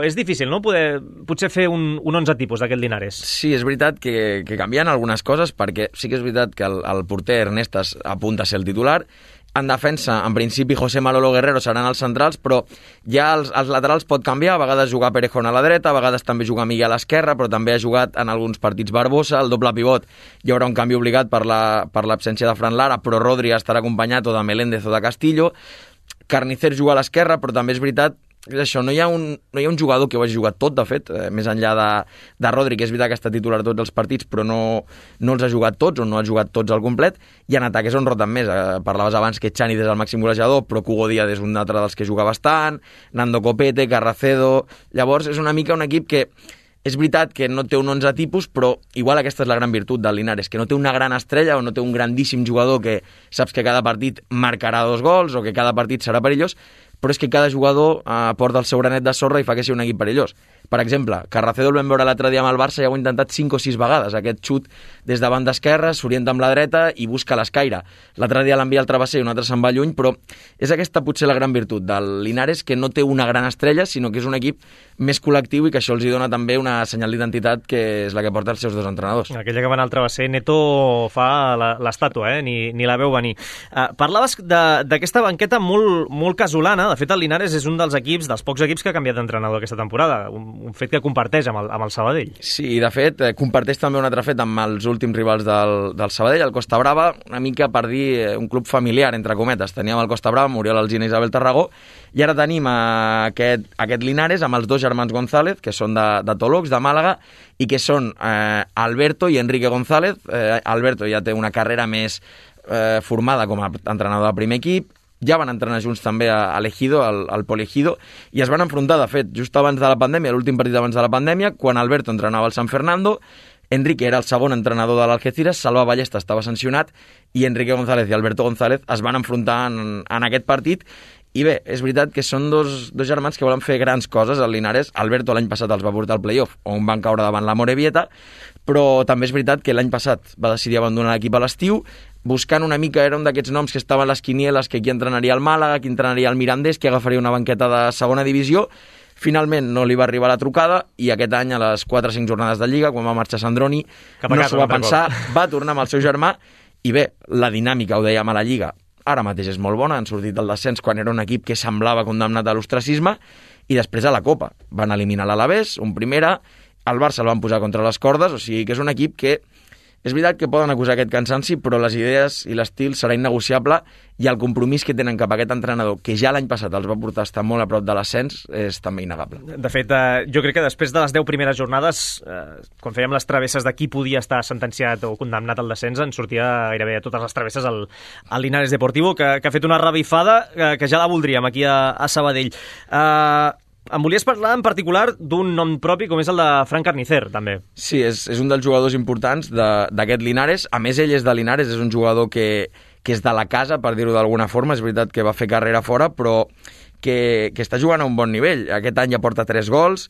és difícil, no?, poder potser fer un, un onze tipus d'aquest Linares. Sí, és veritat que, que canvien algunes coses, perquè sí que és veritat que el, el porter Ernestas apunta a ser el titular. En defensa, en principi, José Malolo Guerrero seran els centrals, però ja els, els laterals pot canviar, a vegades jugar Perejón a la dreta, a vegades també jugar Miguel a l'esquerra, però també ha jugat en alguns partits Barbosa, el doble pivot hi haurà un canvi obligat per la, per l'absència de Fran Lara, però Rodri estarà acompanyat o de Meléndez o de Castillo. Carnicer juga a l'esquerra, però també és veritat és això, no hi ha un, no hi ha un jugador que ho hagi jugat tot, de fet, eh, més enllà de, de Rodri, que és veritat que està titular tots els partits, però no, no els ha jugat tots, o no ha jugat tots al complet, i en atac és on roten més. Eh, parlaves abans que Chani és el màxim golejador, però Hugo Díaz és un altre dels que juga bastant, Nando Copete, Carracedo. Llavors és una mica un equip que és veritat que no té un onze tipus, però igual aquesta és la gran virtut del Linares, que no té una gran estrella o no té un grandíssim jugador que saps que cada partit marcarà dos gols o que cada partit serà perillós, però és que cada jugador eh, porta el seu granet de sorra i fa que sigui un equip perillós. Per exemple, Carracedo el vam veure l'altre dia amb el Barça i ho ha intentat cinc o sis vegades. Aquest xut des de banda esquerra, s'orienta amb la dreta i busca l'escaire. L'altre dia l'envia al travesser i un altre se'n va lluny, però és aquesta potser la gran virtut del Linares, que no té una gran estrella, sinó que és un equip més col·lectiu i que això els hi dona també una senyal d'identitat que és la que porta els seus dos entrenadors. Aquella que va anar al travesser, Neto fa l'estàtua, eh? ni, ni la veu venir. Uh, parlaves d'aquesta banqueta molt, molt casolana. De fet, el Linares és un dels equips, dels pocs equips que ha canviat d'entrenador aquesta temporada, un, un fet que comparteix amb el, amb el Sabadell. Sí, de fet, eh, comparteix també un altre fet amb els últims rivals del, del Sabadell, el Costa Brava, una mica per dir eh, un club familiar, entre cometes. Teníem el Costa Brava, Muriel Alsina i Isabel Tarragó, i ara tenim eh, aquest, aquest Linares amb els dos germans González, que són de, de Tolox, de Màlaga, i que són eh, Alberto i Enrique González. Eh, Alberto ja té una carrera més eh, formada com a entrenador de primer equip, ja van entrenar junts també a l'Ejido, al, al Poliejido, i es van enfrontar, de fet, just abans de la pandèmia, l'últim partit abans de la pandèmia, quan Alberto entrenava al San Fernando, Enrique era el segon entrenador de l'Algeciras, Salva Ballesta estava sancionat, i Enrique González i Alberto González es van enfrontar en, en aquest partit. I bé, és veritat que són dos, dos germans que volen fer grans coses al Linares. Alberto l'any passat els va portar al playoff, on van caure davant la Morevieta, però també és veritat que l'any passat va decidir abandonar l'equip a l'estiu, buscant una mica, era un d'aquests noms que estaven a les quinieles, que qui entrenaria el Màlaga, qui entrenaria el Mirandés, qui agafaria una banqueta de segona divisió. Finalment no li va arribar la trucada i aquest any, a les quatre o cinc jornades de Lliga, quan va marxar Sandroni, no s'ho va pensar, va tornar amb el seu germà i bé, la dinàmica, ho dèiem a la Lliga, ara mateix és molt bona, han sortit del descens quan era un equip que semblava condemnat a l'ostracisme i després a la Copa. Van eliminar l'Alavés, un primera, el Barça el van posar contra les cordes, o sigui que és un equip que És veritat que poden acusar aquest cansanci, però les idees i l'estil serà innegociable i el compromís que tenen cap a aquest entrenador, que ja l'any passat els va portar a estar molt a prop de l'ascens, és també innegable. De fet, eh, jo crec que després de les deu primeres jornades, eh, quan fèiem les travesses de qui podia estar sentenciat o condemnat al descens, en sortia gairebé a totes les travesses al, al Linares Deportivo, que, que ha fet una revifada que, que ja la voldríem aquí a, a Sabadell. Eh... Em volies parlar en particular d'un nom propi com és el de Fran Carnicer, també. Sí, és, és un dels jugadors importants d'aquest Linares. A més, ell és de Linares, és un jugador que, que és de la casa, per dir-ho d'alguna forma. És veritat que va fer carrera fora, però que, que està jugant a un bon nivell. Aquest any ja porta tres gols.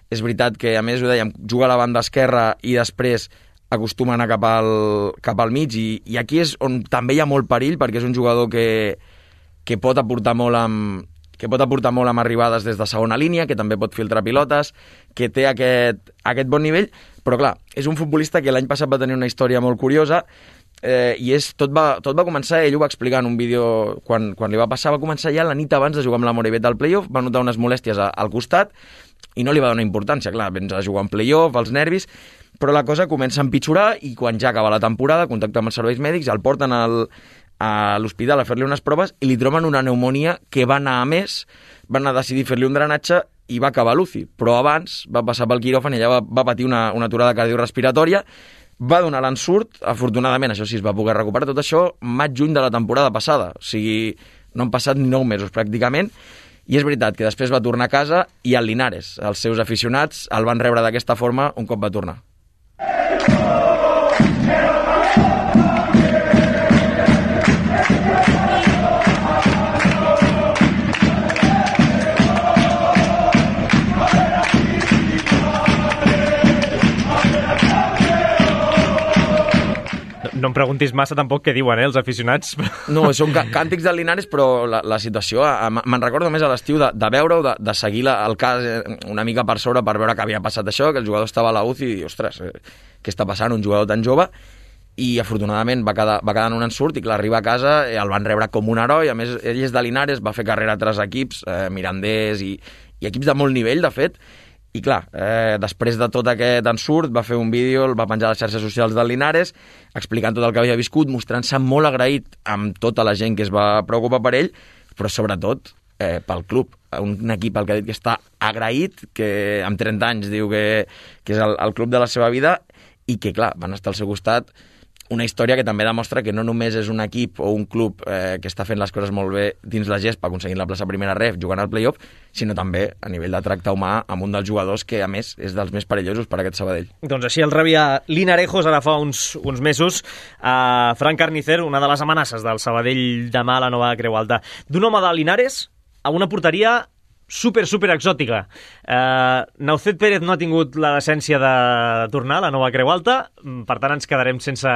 És veritat que, a més, ho dèiem, juga a la banda esquerra i després acostuma a anar cap al, cap al mig. I, I aquí és on també hi ha molt perill, perquè és un jugador que, que pot aportar molt amb... que pot aportar molt amb arribades des de segona línia, que també pot filtrar pilotes, que té aquest, aquest bon nivell, però clar, és un futbolista que l'any passat va tenir una història molt curiosa, eh, i és, tot, va, tot va començar, ell ho va explicar en un vídeo, quan, quan li va passar, va començar ja la nit abans de jugar amb la Morevieta al playoff, va notar unes molèsties a, al costat, i no li va donar importància, clar, vens a jugar en playoff, els nervis, però la cosa comença a empitjorar, i quan ja acaba la temporada, contacta amb els serveis mèdics, el porten al... a l'hospital a fer-li unes proves i li troben una pneumònia que va anar a més, van anar a decidir fer-li un drenatge i va acabar a l'U C I, però abans va passar pel quiròfan i allà va, va patir una, una aturada cardiorrespiratòria, va donar l'ensurt, afortunadament, això sí, es va poder recuperar tot això maig-juny de la temporada passada, o sigui, no han passat ni nou mesos pràcticament, i és veritat que després va tornar a casa i al Linares, els seus aficionats el van rebre d'aquesta forma un cop va tornar. No em preguntis massa tampoc què diuen, eh, els aficionats. No, són càntics del Linares, però la, la situació... Me'n recordo més a l'estiu de, de veure-ho, de, de seguir la, el cas una mica per sobre per veure que havia passat això, que el jugador estava a la U C I i, ostres, eh, què està passant, un jugador tan jove? I afortunadament va quedar, va quedar en un ensurt i clar, arriba a casa, eh, el van rebre com un heroi, a més ell és de Linares, va fer carrera a tres equips, eh, Mirandés i, i equips de molt nivell, de fet, i clar, eh, després de tot aquest ensurt va fer un vídeo, el va penjar a les xarxes socials del Linares, explicant tot el que havia viscut, mostrant-se molt agraït amb tota la gent que es va preocupar per ell, però sobretot eh, pel club, un equip al que ha dit que està agraït, que amb trenta anys diu que, que és el, el club de la seva vida, i que clar, van estar al seu costat. Una història que també demostra que no només és un equip o un club eh, que està fent les coses molt bé dins la gespa, aconseguint la plaça primera ref, jugant al playoff, sinó també a nivell de tracte humà amb un dels jugadors que, a més, és dels més perillosos per a aquest Sabadell. Doncs així el rebia Linarejos ara fa uns, uns mesos a Fran Carnicer, una de les amenaces del Sabadell demà a la nova Creu Alta. D'un home de Linares a una porteria super, super exòtica. Uh, Naucet Pérez no ha tingut la decència de tornar a la nova Creu Alta, per tant ens quedarem sense,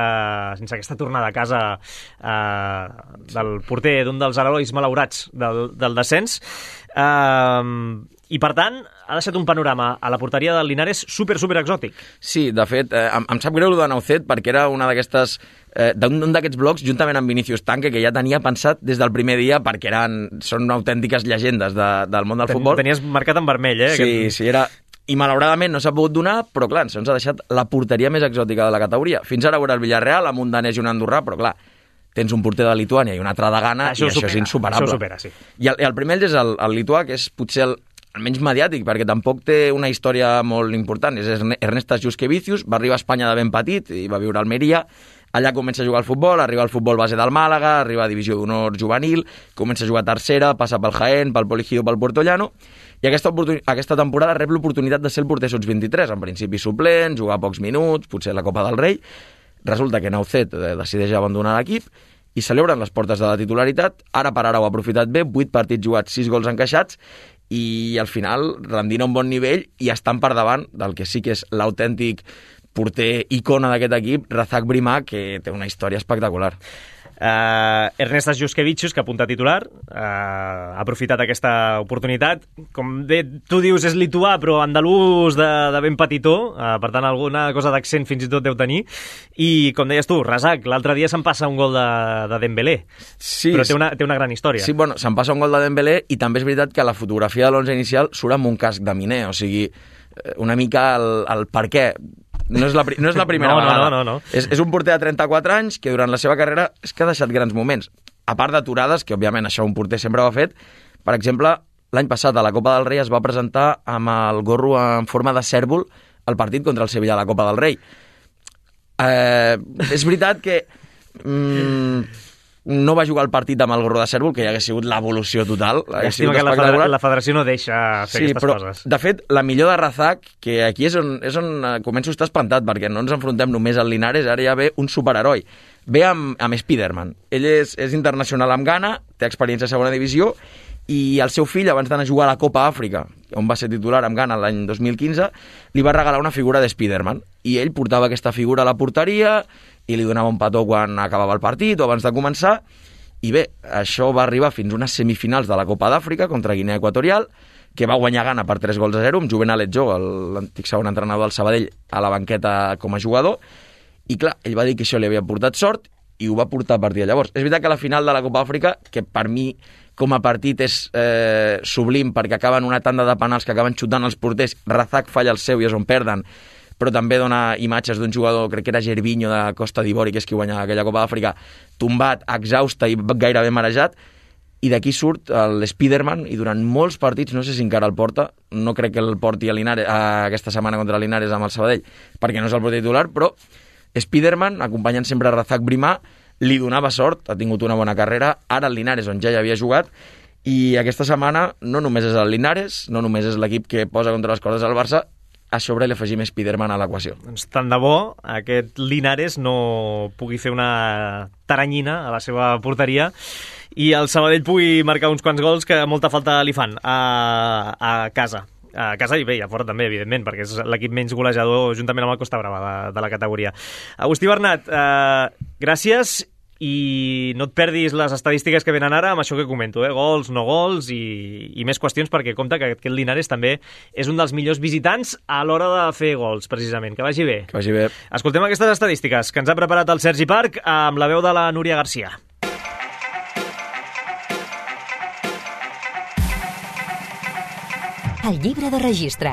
sense aquesta tornada a casa uh, del porter d'un dels herois malaurats del, del descens. Uh, I, per tant, ha deixat un panorama a la porteria del Linares super, super exòtic. Sí, de fet, eh, em, em sap greu el de Naucet perquè era una d'aquestes eh, d'un d'aquests blocs, juntament amb Vinícius Tanque, que ja tenia pensat des del primer dia perquè eren, són autèntiques llegendes de, del món del Ten, futbol. Tenies marcat en vermell, eh? Sí, aquest... sí, era... I malauradament no s'ha pogut donar, però clar, ens ha deixat la porteria més exòtica de la categoria. Fins ara era el Villarreal, amb un danès i un andorrà, però clar, tens un porter de Lituània i un altre de Ghana, això i això supera, és insuperable. Això supera, sí. I el, el primer és el, el lituà, que és potser el, el menys mediàtic, perquè tampoc té una història molt important. És Ernestas Juskevicius, va arribar a Espanya de ben petit i va viure a Almeria. Allà comença a jugar al futbol, arriba al futbol base del Màlaga, arriba a Divisió d'Honor juvenil, comença a jugar a tercera, passa pel Jaén, pel Poligido, pel Puerto Llano, i aquesta, aquesta temporada rep l'oportunitat de ser el porter sots vint-i-tres, en principi suplent, jugar pocs minuts, potser la Copa del Rei. Resulta que Naucet decideix abandonar l'equip i celebren les portes de la titularitat. Ara per ara ho ha aprofitat bé, vuit partits jugats, sis gols encaixats, i al final rendint a un bon nivell i estan per davant del que sí que és l'autèntic porter icona d'aquest equip, Razak Brimá, que té una història espectacular. Uh, Ernestas Juskevicius, que apunta titular, uh, ha aprofitat aquesta oportunitat. Com bé tu dius, és lituà, però andalús de, de ben petitó, uh, per tant alguna cosa d'accent fins i tot deu tenir. I com deies tu, Razak, l'altre dia se'n passa un gol de, de Dembélé, sí, però té una, té una gran història. Sí, bueno, se'n passa un gol de Dembélé i també és veritat que la fotografia de l'onze inicial surt amb un casc de miner, o sigui, una mica el, el per què. no és la, no és la primera no, vegada. No, no, no. És, és un porter de trenta-quatre anys que durant la seva carrera és que ha deixat grans moments. A part d'aturades, que òbviament això un porter sempre ho ha fet, per exemple, l'any passat a la Copa del Rei es va presentar amb el gorro en forma de cèrvol al partit contra el Sevilla a la Copa del Rei. Eh, és veritat que mm, no va jugar el partit amb el gorro de cèrvol, que ja hagués sigut l'evolució total. Estima que la, federa la federació no deixa fer sí, aquestes però, coses. De fet, la millor de Razak, que aquí és on, és on començo a estar espantat, perquè no ens enfrontem només al Linares, ara ja ve un superheroi. Ve amb, amb Spiderman. Ell és, és internacional amb Ghana, té experiència a segona divisió, i el seu fill, abans d'anar a jugar a la Copa Àfrica, on va ser titular amb Ghana l'any dos mil quinze, li va regalar una figura de Spiderman. I ell portava aquesta figura a la porteria i li donava un petó quan acabava el partit o abans de començar. I bé, això va arribar fins a unes semifinals de la Copa d'Àfrica contra Guinea Equatorial, que va guanyar Ghana per tres gols a zero, amb Juvenal Etjo, l'antic segon entrenador del Sabadell, a la banqueta com a jugador. I clar, ell va dir que això li havia portat sort i ho va portar a partir de llavors. És veritat que la final de la Copa Àfrica, que per mi com a partit és eh, sublim, perquè acaben una tanda de penals que acaben xutant els porters, Razak falla el seu i és on perden, però també dona imatges d'un jugador, crec que era Gervinho de Costa d'Ivori, que és qui guanya aquella Copa d'Àfrica, tombat, exhausta i gairebé marejat, i d'aquí surt l'Spiderman, i durant molts partits, no sé si encara el porta, no crec que el porti a Linares, a aquesta setmana contra Linares amb el Sabadell, perquè no és el porter titular, però Spiderman, acompanyant sempre a Razak Brimà, li donava sort, ha tingut una bona carrera, ara el Linares, on ja hi havia jugat, i aquesta setmana no només és el Linares, no només és l'equip que posa contra les cordes al Barça, a sobre li afegim Spiderman a l'equació. Doncs tant de bo aquest Linares no pugui fer una taranyina a la seva porteria i el Sabadell pugui marcar uns quants gols que molta falta li fan a, a casa. A casa i bé, i a fora també, evidentment, perquè és l'equip menys golejador juntament amb el Costa Brava de, de la categoria. Agustí Bernat, eh, gràcies, i no et perdis les estadístiques que venen ara amb això que comento, eh? Gols, no gols i, i més qüestions, perquè compte que aquest Linares també és un dels millors visitants a l'hora de fer gols, precisament. Que vagi bé. Que vagi bé. Escoltem aquestes estadístiques que ens ha preparat el Sergi Parc amb la veu de la Núria Garcia. El llibre de registre.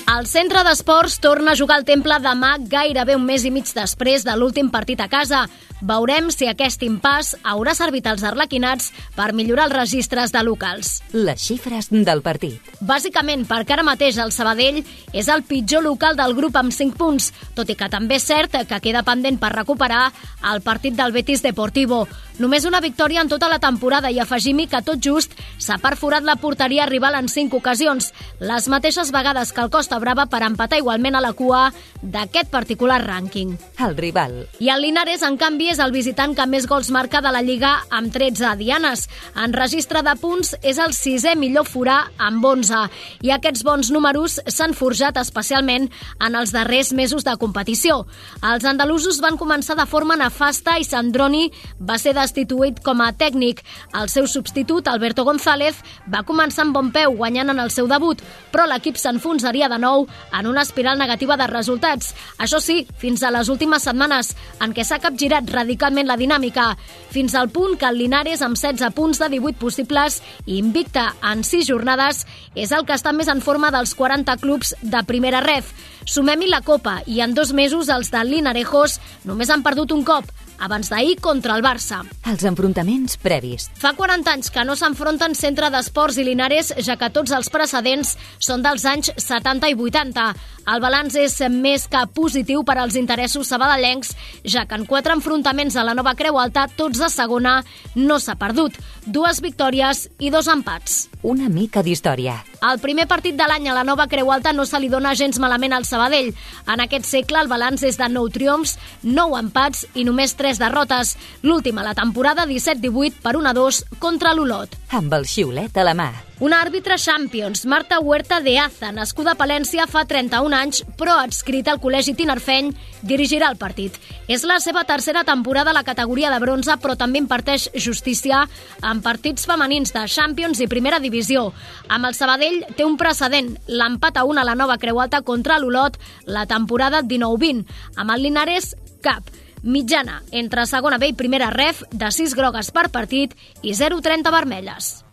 El centre d'esports torna a jugar al Temple demà, gairebé un mes i mig després de l'últim partit a casa. Veurem si aquest impàs haurà servit als arlequinats per millorar els registres de locals. Les xifres del partit. Bàsicament perquè ara mateix el Sabadell és el pitjor local del grup amb cinc punts, tot i que també és cert que queda pendent per recuperar el partit del Betis Deportivo. Només una victòria en tota la temporada i afegim-hi que tot just s'ha perforat la porteria rival en cinc ocasions, les mateixes vegades que el Costa Brava per empatar igualment a la cua d'aquest particular rànquing. El rival. I el Linares, en canvi, és el visitant que més gols marca de la Lliga amb tretze dianes. En registre de punts és el sisè millor forà amb onze. I aquests bons números s'han forjat especialment en els darrers mesos de competició. Els andalusos van començar de forma nefasta i Sandroni va ser destituït com a tècnic. El seu substitut, Alberto González, va començar amb bon peu, guanyant en el seu debut, però l'equip s'enfonsaria de nou en una espiral negativa de resultats. Això sí, fins a les últimes setmanes, en què s'ha capgirat radicalment la dinàmica, fins al punt que el Linares, amb setze punts de divuit possibles i invicte en sis jornades, és el que està més en forma dels quaranta clubs de primera ref. Sumem-hi la Copa i en dos mesos els de Linarejos només han perdut un cop, abans d'ahir contra el Barça. Els enfrontaments previs. Fa quaranta anys que no s'enfronten Centre d'Esports i Linares, ja que tots els precedents són dels anys setanta i vuitanta. El balanç és més que positiu per als interessos sabadellencs, ja que en quatre enfrontaments a la nova Creu Alta, tots de segona, no s'ha perdut. Dues victòries i dos empats. Una mica d'història. El primer partit de l'any a la nova Creu Alta no se li dona gens malament al Sabadell. En aquest segle el balanç és de nou triomfs, nou empats i només tres derrotes. L'última a la temporada disset divuit per un a dos contra l'Olot. Amb el xiulet a la mà. Una àrbitre Champions, Marta Huerta de Aza, nascuda a Palència fa trenta-un anys, però adscrita al Col·legi Tinarfeny, dirigirà el partit. És la seva tercera temporada a la categoria de bronze, però també imparteix justícia en partits femenins de Champions i Primera Divisió. Amb el Sabadell té un precedent, l'empat a una a la nova Creu Alta contra l'Olot la temporada dinou vint. Amb el Linares, cap. Mitjana entre segona B i primera ref de sis grogues per partit i zero coma trenta vermelles.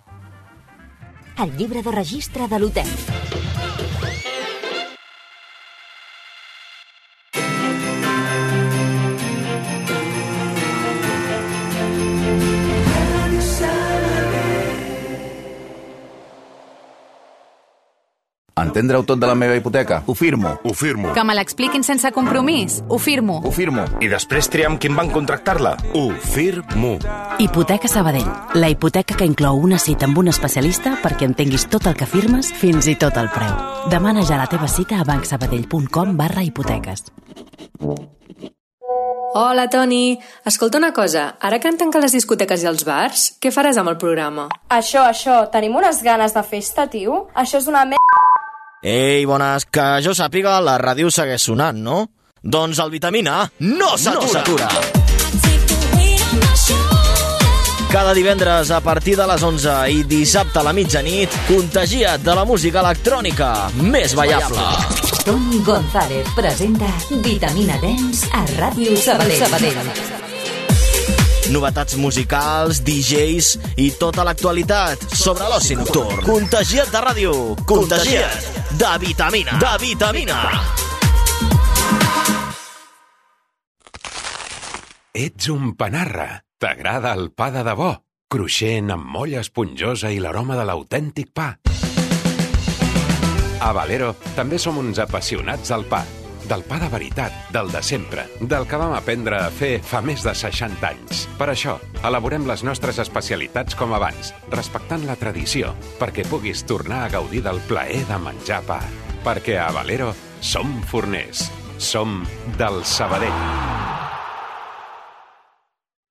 El llibre de registre de l'hotel. Entendre-ho tot de la meva hipoteca? Ho firmo. Ho firmo. Que me l'expliquin sense compromís? Ho firmo. Ho firmo. I després triam quin banc contractar-la? Ho firmo. Hipoteca Sabadell. La hipoteca que inclou una cita amb un especialista perquè entenguis tot el que firmes, fins i tot el preu. Demana ja la teva cita a bancsabadell.com barra hipoteques. Hola, Toni. Escolta una cosa, ara que han tancat les discoteques i els bars, què faràs amb el programa? Això, això, tenim unes ganes de festa, tio. Això és una merda. Ei, bones, que jo sàpiga, la ràdio segueix sonant, no? Doncs el Vitamina no s'atura. No Cada divendres a partir de les onze i dissabte a la mitjanit, contagia't de la música electrònica més ballable. Toni González presenta Vitamina Dance a Ràdio Sabadell. Sabadell. Novetats musicals, D Js i tota l'actualitat sobre l'oci nocturn. Contagia't de ràdio, contagia't de vitamina. De vitamina. Ets un panarra. T'agrada el pa de debò, cruixent amb molla esponjosa i l'aroma de l'autèntic pa. A Valero també som uns apassionats del pa, del pa de veritat, del de sempre, del que vam aprendre a fer fa més de seixanta anys. Per això, elaborem les nostres especialitats com abans, respectant la tradició, perquè puguis tornar a gaudir del plaer de menjar pa. Perquè a Valero som forners, som del Sabadell.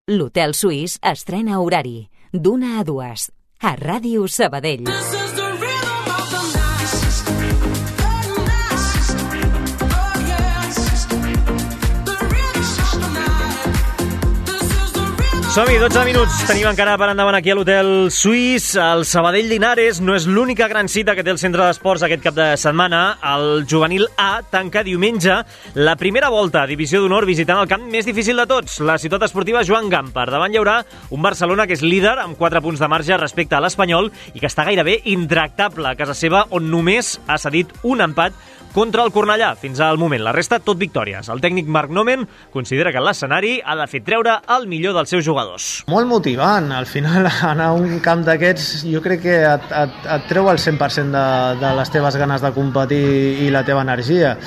L'Hotel Suís estrena horari d'una a dues a Ràdio Sabadell. Som-hi, dotze minuts. Tenim encara per endavant aquí a l'Hotel Suís. El Sabadell Linares no és l'única gran cita que té el centre d'esports aquest cap de setmana. El juvenil A tanca diumenge la primera volta a Divisió d'Honor visitant el camp més difícil de tots, la ciutat esportiva Joan Gamper. Davant hi haurà un Barcelona que és líder amb quatre punts de marge respecte a l'Espanyol i que està gairebé intractable a casa seva, on només ha cedit un empat contra el Cornellà. Fins al moment, la resta tot victòries. El tècnic Marc Nomen considera que l'escenari ha de fer treure el millor dels seus jugadors. Molt motivant. Al final, anar a un camp d'aquests jo crec que et, et, et treu el cent per cent de, de les teves ganes de competir i la teva energia.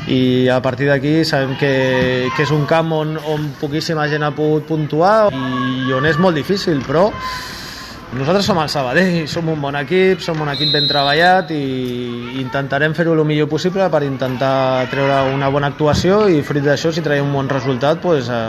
I a partir d'aquí sabem que, que és un camp on, on poquíssima gent ha pogut puntuar i on és molt difícil, però nosaltres som el Sabadell, som un bon equip, som un equip ben treballat i intentarem fer-ho el millor possible per intentar treure una bona actuació i fruit d'això, si traiem un bon resultat, pues, eh,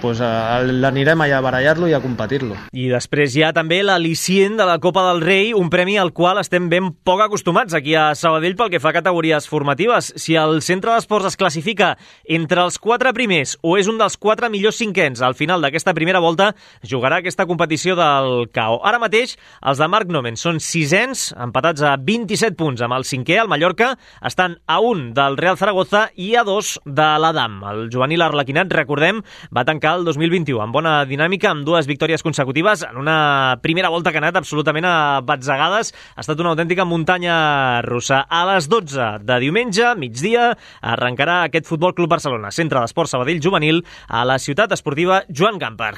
pues, eh, l'anirem allà a barallar-lo i a competir-lo. I després hi ha també l'al·licient de la Copa del Rei, un premi al qual estem ben poc acostumats aquí a Sabadell pel que fa a categories formatives. Si el centre d'esports es classifica entre els quatre primers o és un dels quatre millors cinquens al final d'aquesta primera volta, jugarà aquesta competició del C A O. Ara mateix, els de Marc Nomen són sisens, empatats a vint-i-set punts amb el cinquè, el Mallorca, estan a un del Real Zaragoza i a dos de l'Adam. El juvenil arlequinat, recordem, va tancar el dos mil vint-i-u amb bona dinàmica, amb dues victòries consecutives en una primera volta que ha anat absolutament a batzegades. Ha estat una autèntica muntanya russa. A les dotze de diumenge, migdia, arrencarà aquest Futbol Club Barcelona, centre d'esports Sabadell juvenil, a la ciutat esportiva Joan Gamper.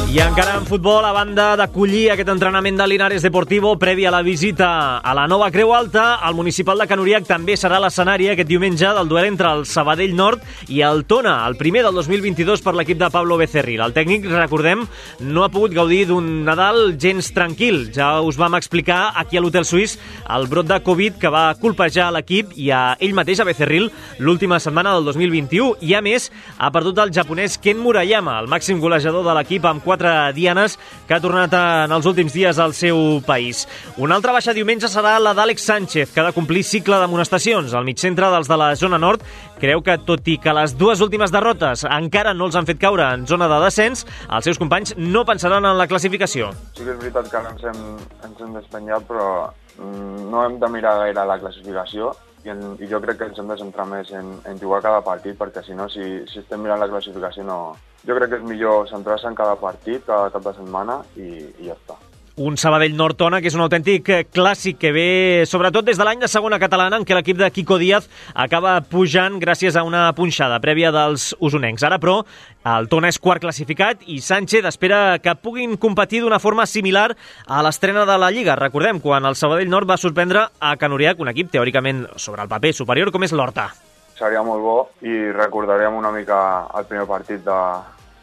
I encara en futbol, a banda d'acollir aquest entrenament de Linares Deportivo previ a la visita a la nova Creu Alta, el municipal de Can Uriac també serà l'escenari aquest diumenge del duel entre el Sabadell Nord i el Tona, el primer del dos mil vint-i-dos per l'equip de Pablo Becerril. El tècnic, recordem, no ha pogut gaudir d'un Nadal gens tranquil. Ja us vam explicar aquí a l'Hotel Suís el brot de Covid que va colpejar l'equip i a ell mateix, a Becerril, l'última setmana del dos mil vint-i-u. I a més, ha perdut el japonès Ken Murayama, el màxim golejador de l'equip amb quatre dianes, que ha tornat en els últims dies al seu país. Una altra baixa diumenge serà la d'Àlex Sánchez, que ha de complir cicle d'amonestacions. El migcentre dels de la zona nord creu que, tot i que les dues últimes derrotes encara no els han fet caure en zona de descens, els seus companys no pensaran en la classificació. Sí que és veritat que ara ens hem, ens hem despenyat, però no hem de mirar gaire la classificació i, en, i jo crec que ens hem de centrar més en, en jugar cada partit, perquè si no, si, si estem mirant la classificació, no... Jo crec que és millor centrar-se en cada partit, cada cap de setmana i, i ja està. Un Sabadell Nord-Tona que és un autèntic clàssic que ve sobretot des de l'any de segona catalana en què l'equip de Quico Díaz acaba pujant gràcies a una punxada prèvia dels usonencs. Ara, però, el Tona és quart classificat i Sánchez espera que puguin competir d'una forma similar a l'estrena de la Lliga. Recordem, quan el Sabadell Nord va sorprendre a Can Uriac, un equip teòricament sobre el paper superior com és l'Horta. Seria molt bo i recordaríem una mica el primer partit de...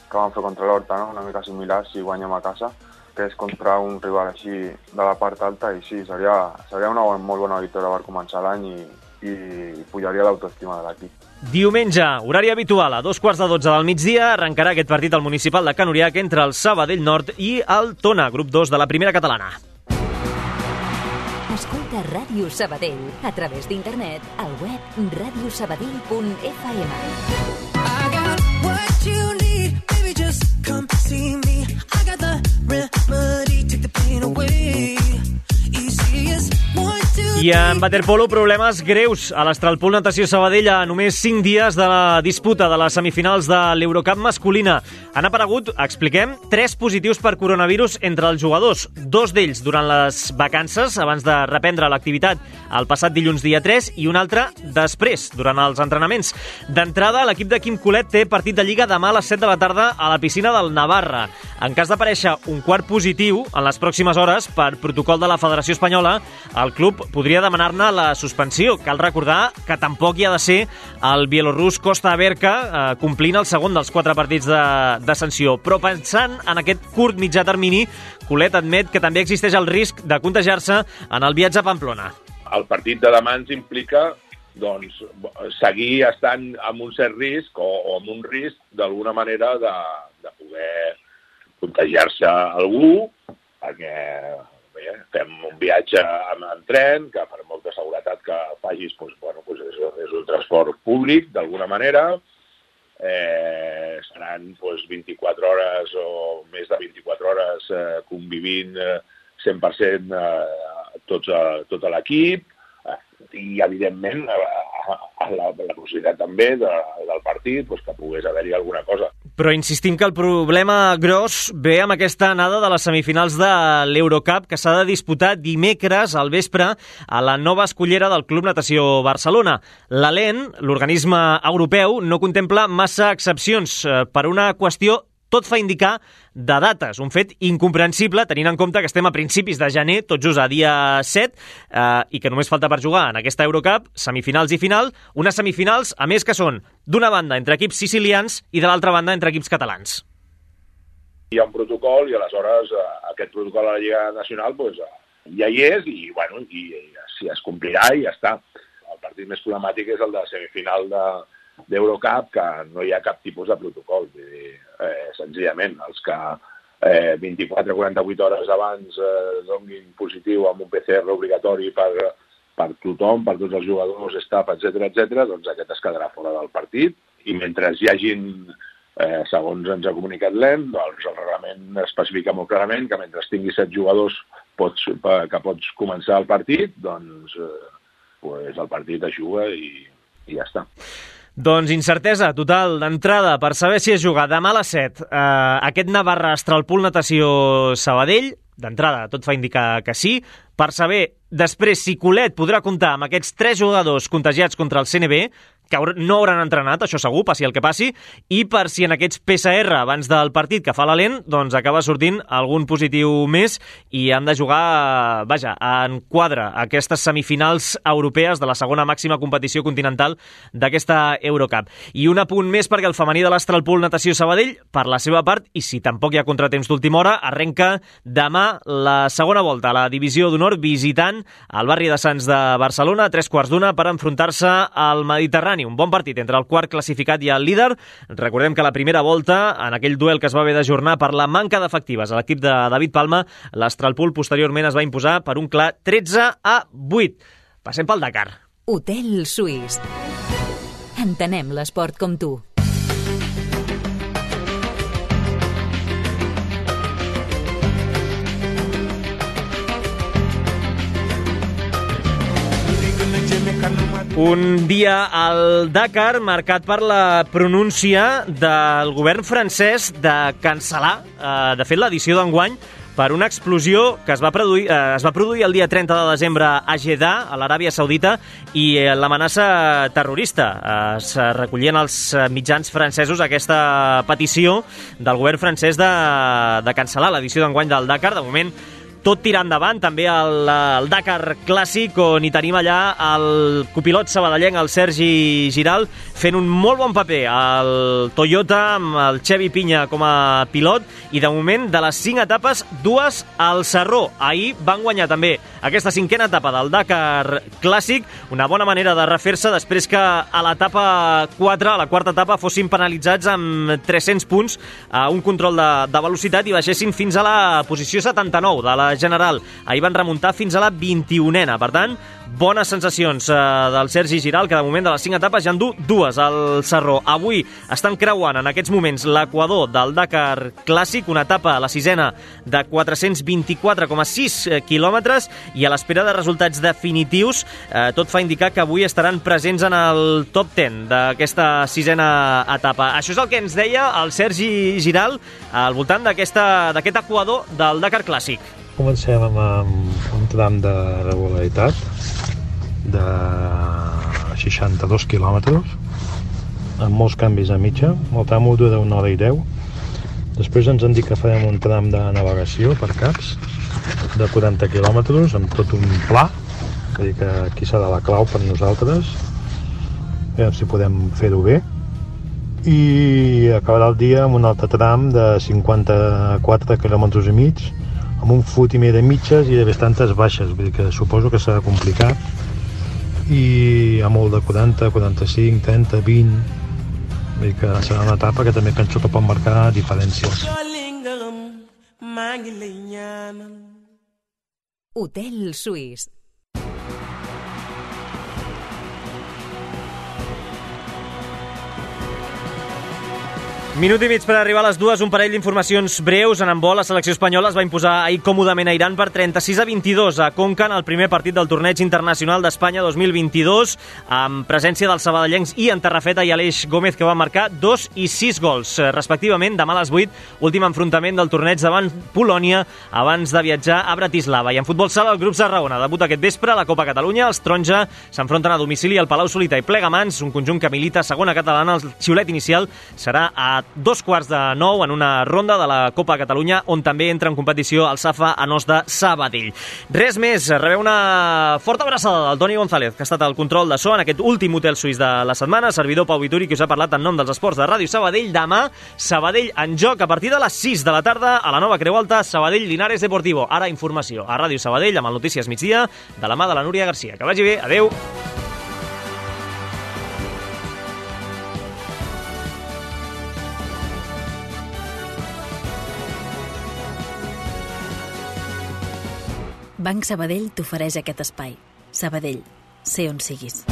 que vam fer contra l'Horta, no? Una mica similar si guanyem a casa, que és contra un rival així de la part alta, i sí, seria, seria una molt bona victòria per començar l'any i, i pujaria l'autoestima de l'equip. Diumenge, horari habitual, a dos quarts de dotze del migdia, arrencarà aquest partit al municipal de Can Uriac entre el Sabadell Nord i el Tona, grup dos de la primera catalana. Escolta Ràdio Sabadell a través d'internet al web radio sabadell punt f m. I got what you need, baby, just come see me. I got the remedy, take the pain away. Easy as one, two, I en waterpolo, problemes greus a l'Astralpool Natació Sabadell a només cinc dies de la disputa de les semifinals de l'Eurocup masculina. Han aparegut, expliquem, tres positius per coronavirus entre els jugadors, dos d'ells durant les vacances, abans de reprendre l'activitat el passat dilluns dia tres, i un altre després, durant els entrenaments. D'entrada, l'equip de Quim Colet té partit de Lliga demà a les set de la tarda a la piscina del Navarra. En cas d'aparèixer un quart positiu en les pròximes hores, per protocol de la Federació Espanyola, el club podria demanar-ne la suspensió. Cal recordar que tampoc hi ha de ser el bielorrus Costa Averka, eh, complint el segon dels quatre partits de, de sanció. Però pensant en aquest curt mitjà termini, Colet admet que també existeix el risc de contagiar-se en el viatge a Pamplona. El partit de demà ens implica doncs, seguir estant amb un cert risc o, o amb un risc d'alguna manera de, de poder contagiar-se algú, perquè bé, fem un viatge en, en tren, que per molta seguretat que facis doncs, bueno, doncs és, és un transport públic d'alguna manera. Eh, seran doncs, vint-i-quatre hores o més de vint-i-quatre hores eh, convivint eh, cent per cent eh, tots, eh, tot l'equip eh, i evidentment eh, la, la possibilitat també de, del partit doncs, que pogués haver-hi alguna cosa. Però insistim que el problema gros ve amb aquesta anada de les semifinals de l'Eurocup que s'ha de disputar dimecres al vespre a la nova escollera del Club Natació Barcelona. L'A L E N, l'organisme europeu, no contempla massa excepcions per una qüestió, tot fa indicar, de dates. Un fet incomprensible, tenint en compte que estem a principis de gener, tot just a dia set, eh, i que només falta per jugar en aquesta Eurocup, semifinals i final, unes semifinals, a més que són d'una banda entre equips sicilians i de l'altra banda entre equips catalans. Hi ha un protocol i aleshores eh, aquest protocol a la Lliga Nacional doncs, eh, ja hi és i, bueno, i, i si es complirà i ja està. El partit més problemàtic és el de semifinal de d'Eurocup, que no hi ha cap tipus de protocol. Vull dir, eh, senzillament, els que eh, vint-i-quatre a quaranta-vuit hores abans eh, donin positiu amb un P C R obligatori per, per tothom, per tots els jugadors, staff, etcètera, etcètera, doncs aquest es quedarà fora del partit. I mentre hi hagin, eh, segons ens ha comunicat l'E N, doncs el reglament especifica molt clarament que mentre tinguis set jugadors pots, que pots començar el partit, doncs eh, pues el partit es juga i, i ja està. Doncs incertesa total d'entrada per saber si es juga demà a les set eh, aquest Navarra Astralpool Natació Sabadell. D'entrada tot fa indicar que sí. Per saber després si Colet podrà comptar amb aquests tres jugadors contagiats contra el C N B, que no hauran entrenat, això segur, passi el que passi, i per si en aquests P C R abans del partit que fa l'A L E N, doncs acaba sortint algun positiu més i han de jugar, vaja, en quadre aquestes semifinals europees de la segona màxima competició continental d'aquesta Eurocup. I un apunt més perquè el femení de l'Astralpool Natació Sabadell, per la seva part, i si tampoc hi ha contratemps d'última hora, arrenca demà la segona volta a la divisió d'honor visitant el barri de Sants de Barcelona a tres quarts d'una per enfrontar-se al Mediterrani. Un bon partit entre el quart classificat i el líder. Recordem que la primera volta, en aquell duel que es va haver d'ajornar per la manca d'efectives a l'equip de David Palma, l'Astralpool posteriorment es va imposar per un clar tretze a vuit. Passem pel Dakar. Hotel Suís. Entenem l'esport com tu. Un dia al Dakar marcat per la pronúncia del govern francès de cancel·lar, eh, de fet, l'edició d'enguany per una explosió que es va produir, eh, es va produir el dia trenta de desembre a Jeddah, a l'Aràbia Saudita, i eh, l'amenaça terrorista. Eh, es recollien els mitjans francesos aquesta petició del govern francès de, de cancel·lar l'edició d'enguany del Dakar. De moment, tot tira endavant, també el, el Dakar Clàssic, on hi tenim allà el copilot sabadellenc, el Sergi Giral, fent un molt bon paper al Toyota, amb el Xevi Pinya com a pilot, i de moment, de les cinc etapes, dues al Sarró. Ahir van guanyar també aquesta cinquena etapa del Dakar Clàssic, una bona manera de refer-se després que a l'etapa quatre, a la quarta etapa, fossin penalitzats amb tres-cents punts a un control de, de velocitat i baixessin fins a la posició setanta-nou de la general. Ahir van remuntar fins a la vint-i-unena. Per tant, bones sensacions eh, del Sergi Giral, que de moment de les cinc etapes ja en du dues al Sarró. Avui estan creuant en aquests moments l'equador del Dakar Clàssic, una etapa, la sisena, de quatre-cents vint-i-quatre coma sis quilòmetres, i a l'espera de resultats definitius, eh, tot fa indicar que avui estaran presents en el top deu d'aquesta sisena etapa. Això és el que ens deia el Sergi Giral al voltant d'aquest equador del Dakar Clàssic. Comencem amb un tram de regularitat de seixanta-dos quilòmetres, amb molts canvis a mitja. El tram dura una hora i deu. Després ens han dit que farem un tram de navegació per caps de quaranta quilòmetres, amb tot un pla, vull dir que aquí serà la clau per nosaltres. A veure si podem fer-ho bé. I acabarà el dia amb un altre tram de cinquanta-quatre quilòmetres i mig, amb un fotimer de mitges i de bastantes baixes, vull dir que suposo que serà complicat, i a molt de quaranta, quaranta-cinc, trenta, vint, vull dir que serà una etapa que també penso que pot marcar diferències. Hotel Suís. Minut i mig per arribar a les dues, un parell d'informacions breus. En handbol, la selecció espanyola es va imposar ahir còmodament a Iran per trenta-sis a vint-i-dos a Conca en el primer partit del torneig internacional d'Espanya dos mil vint-i-dos, amb presència dels sabadellencs Ian Terrafeta i Aleix Gómez, que van marcar dos i sis gols, respectivament. Demà a les vuit, últim enfrontament del torneig davant Polònia, abans de viatjar a Bratislava. I en futbol sala, el grup Tarragona debuta aquest vespre a la Copa Catalunya. Els taronja s'enfronten a domicili al Palau Solità i Plegamans, un conjunt que milita a segona catalana. El xiulet inicial serà a dos quarts de nou en una ronda de la Copa Catalunya, on també entra en competició el Safa Anós de Sabadell. Res més, rebeu una forta abraçada del Toni González, que ha estat al control de so en aquest últim hotel suís de la setmana, servidor Pau Vituri, que us ha parlat en nom dels esports de Ràdio Sabadell. Demà, Sabadell en joc a partir de les sis de la tarda a la nova Creu Alta, Sabadell Linares Deportivo. Ara informació a Ràdio Sabadell amb el Notícies Migdia de la mà de la Núria Garcia. Que vagi bé, adeu. Banc Sabadell t'ofereix aquest espai. Sabadell, sé on siguis.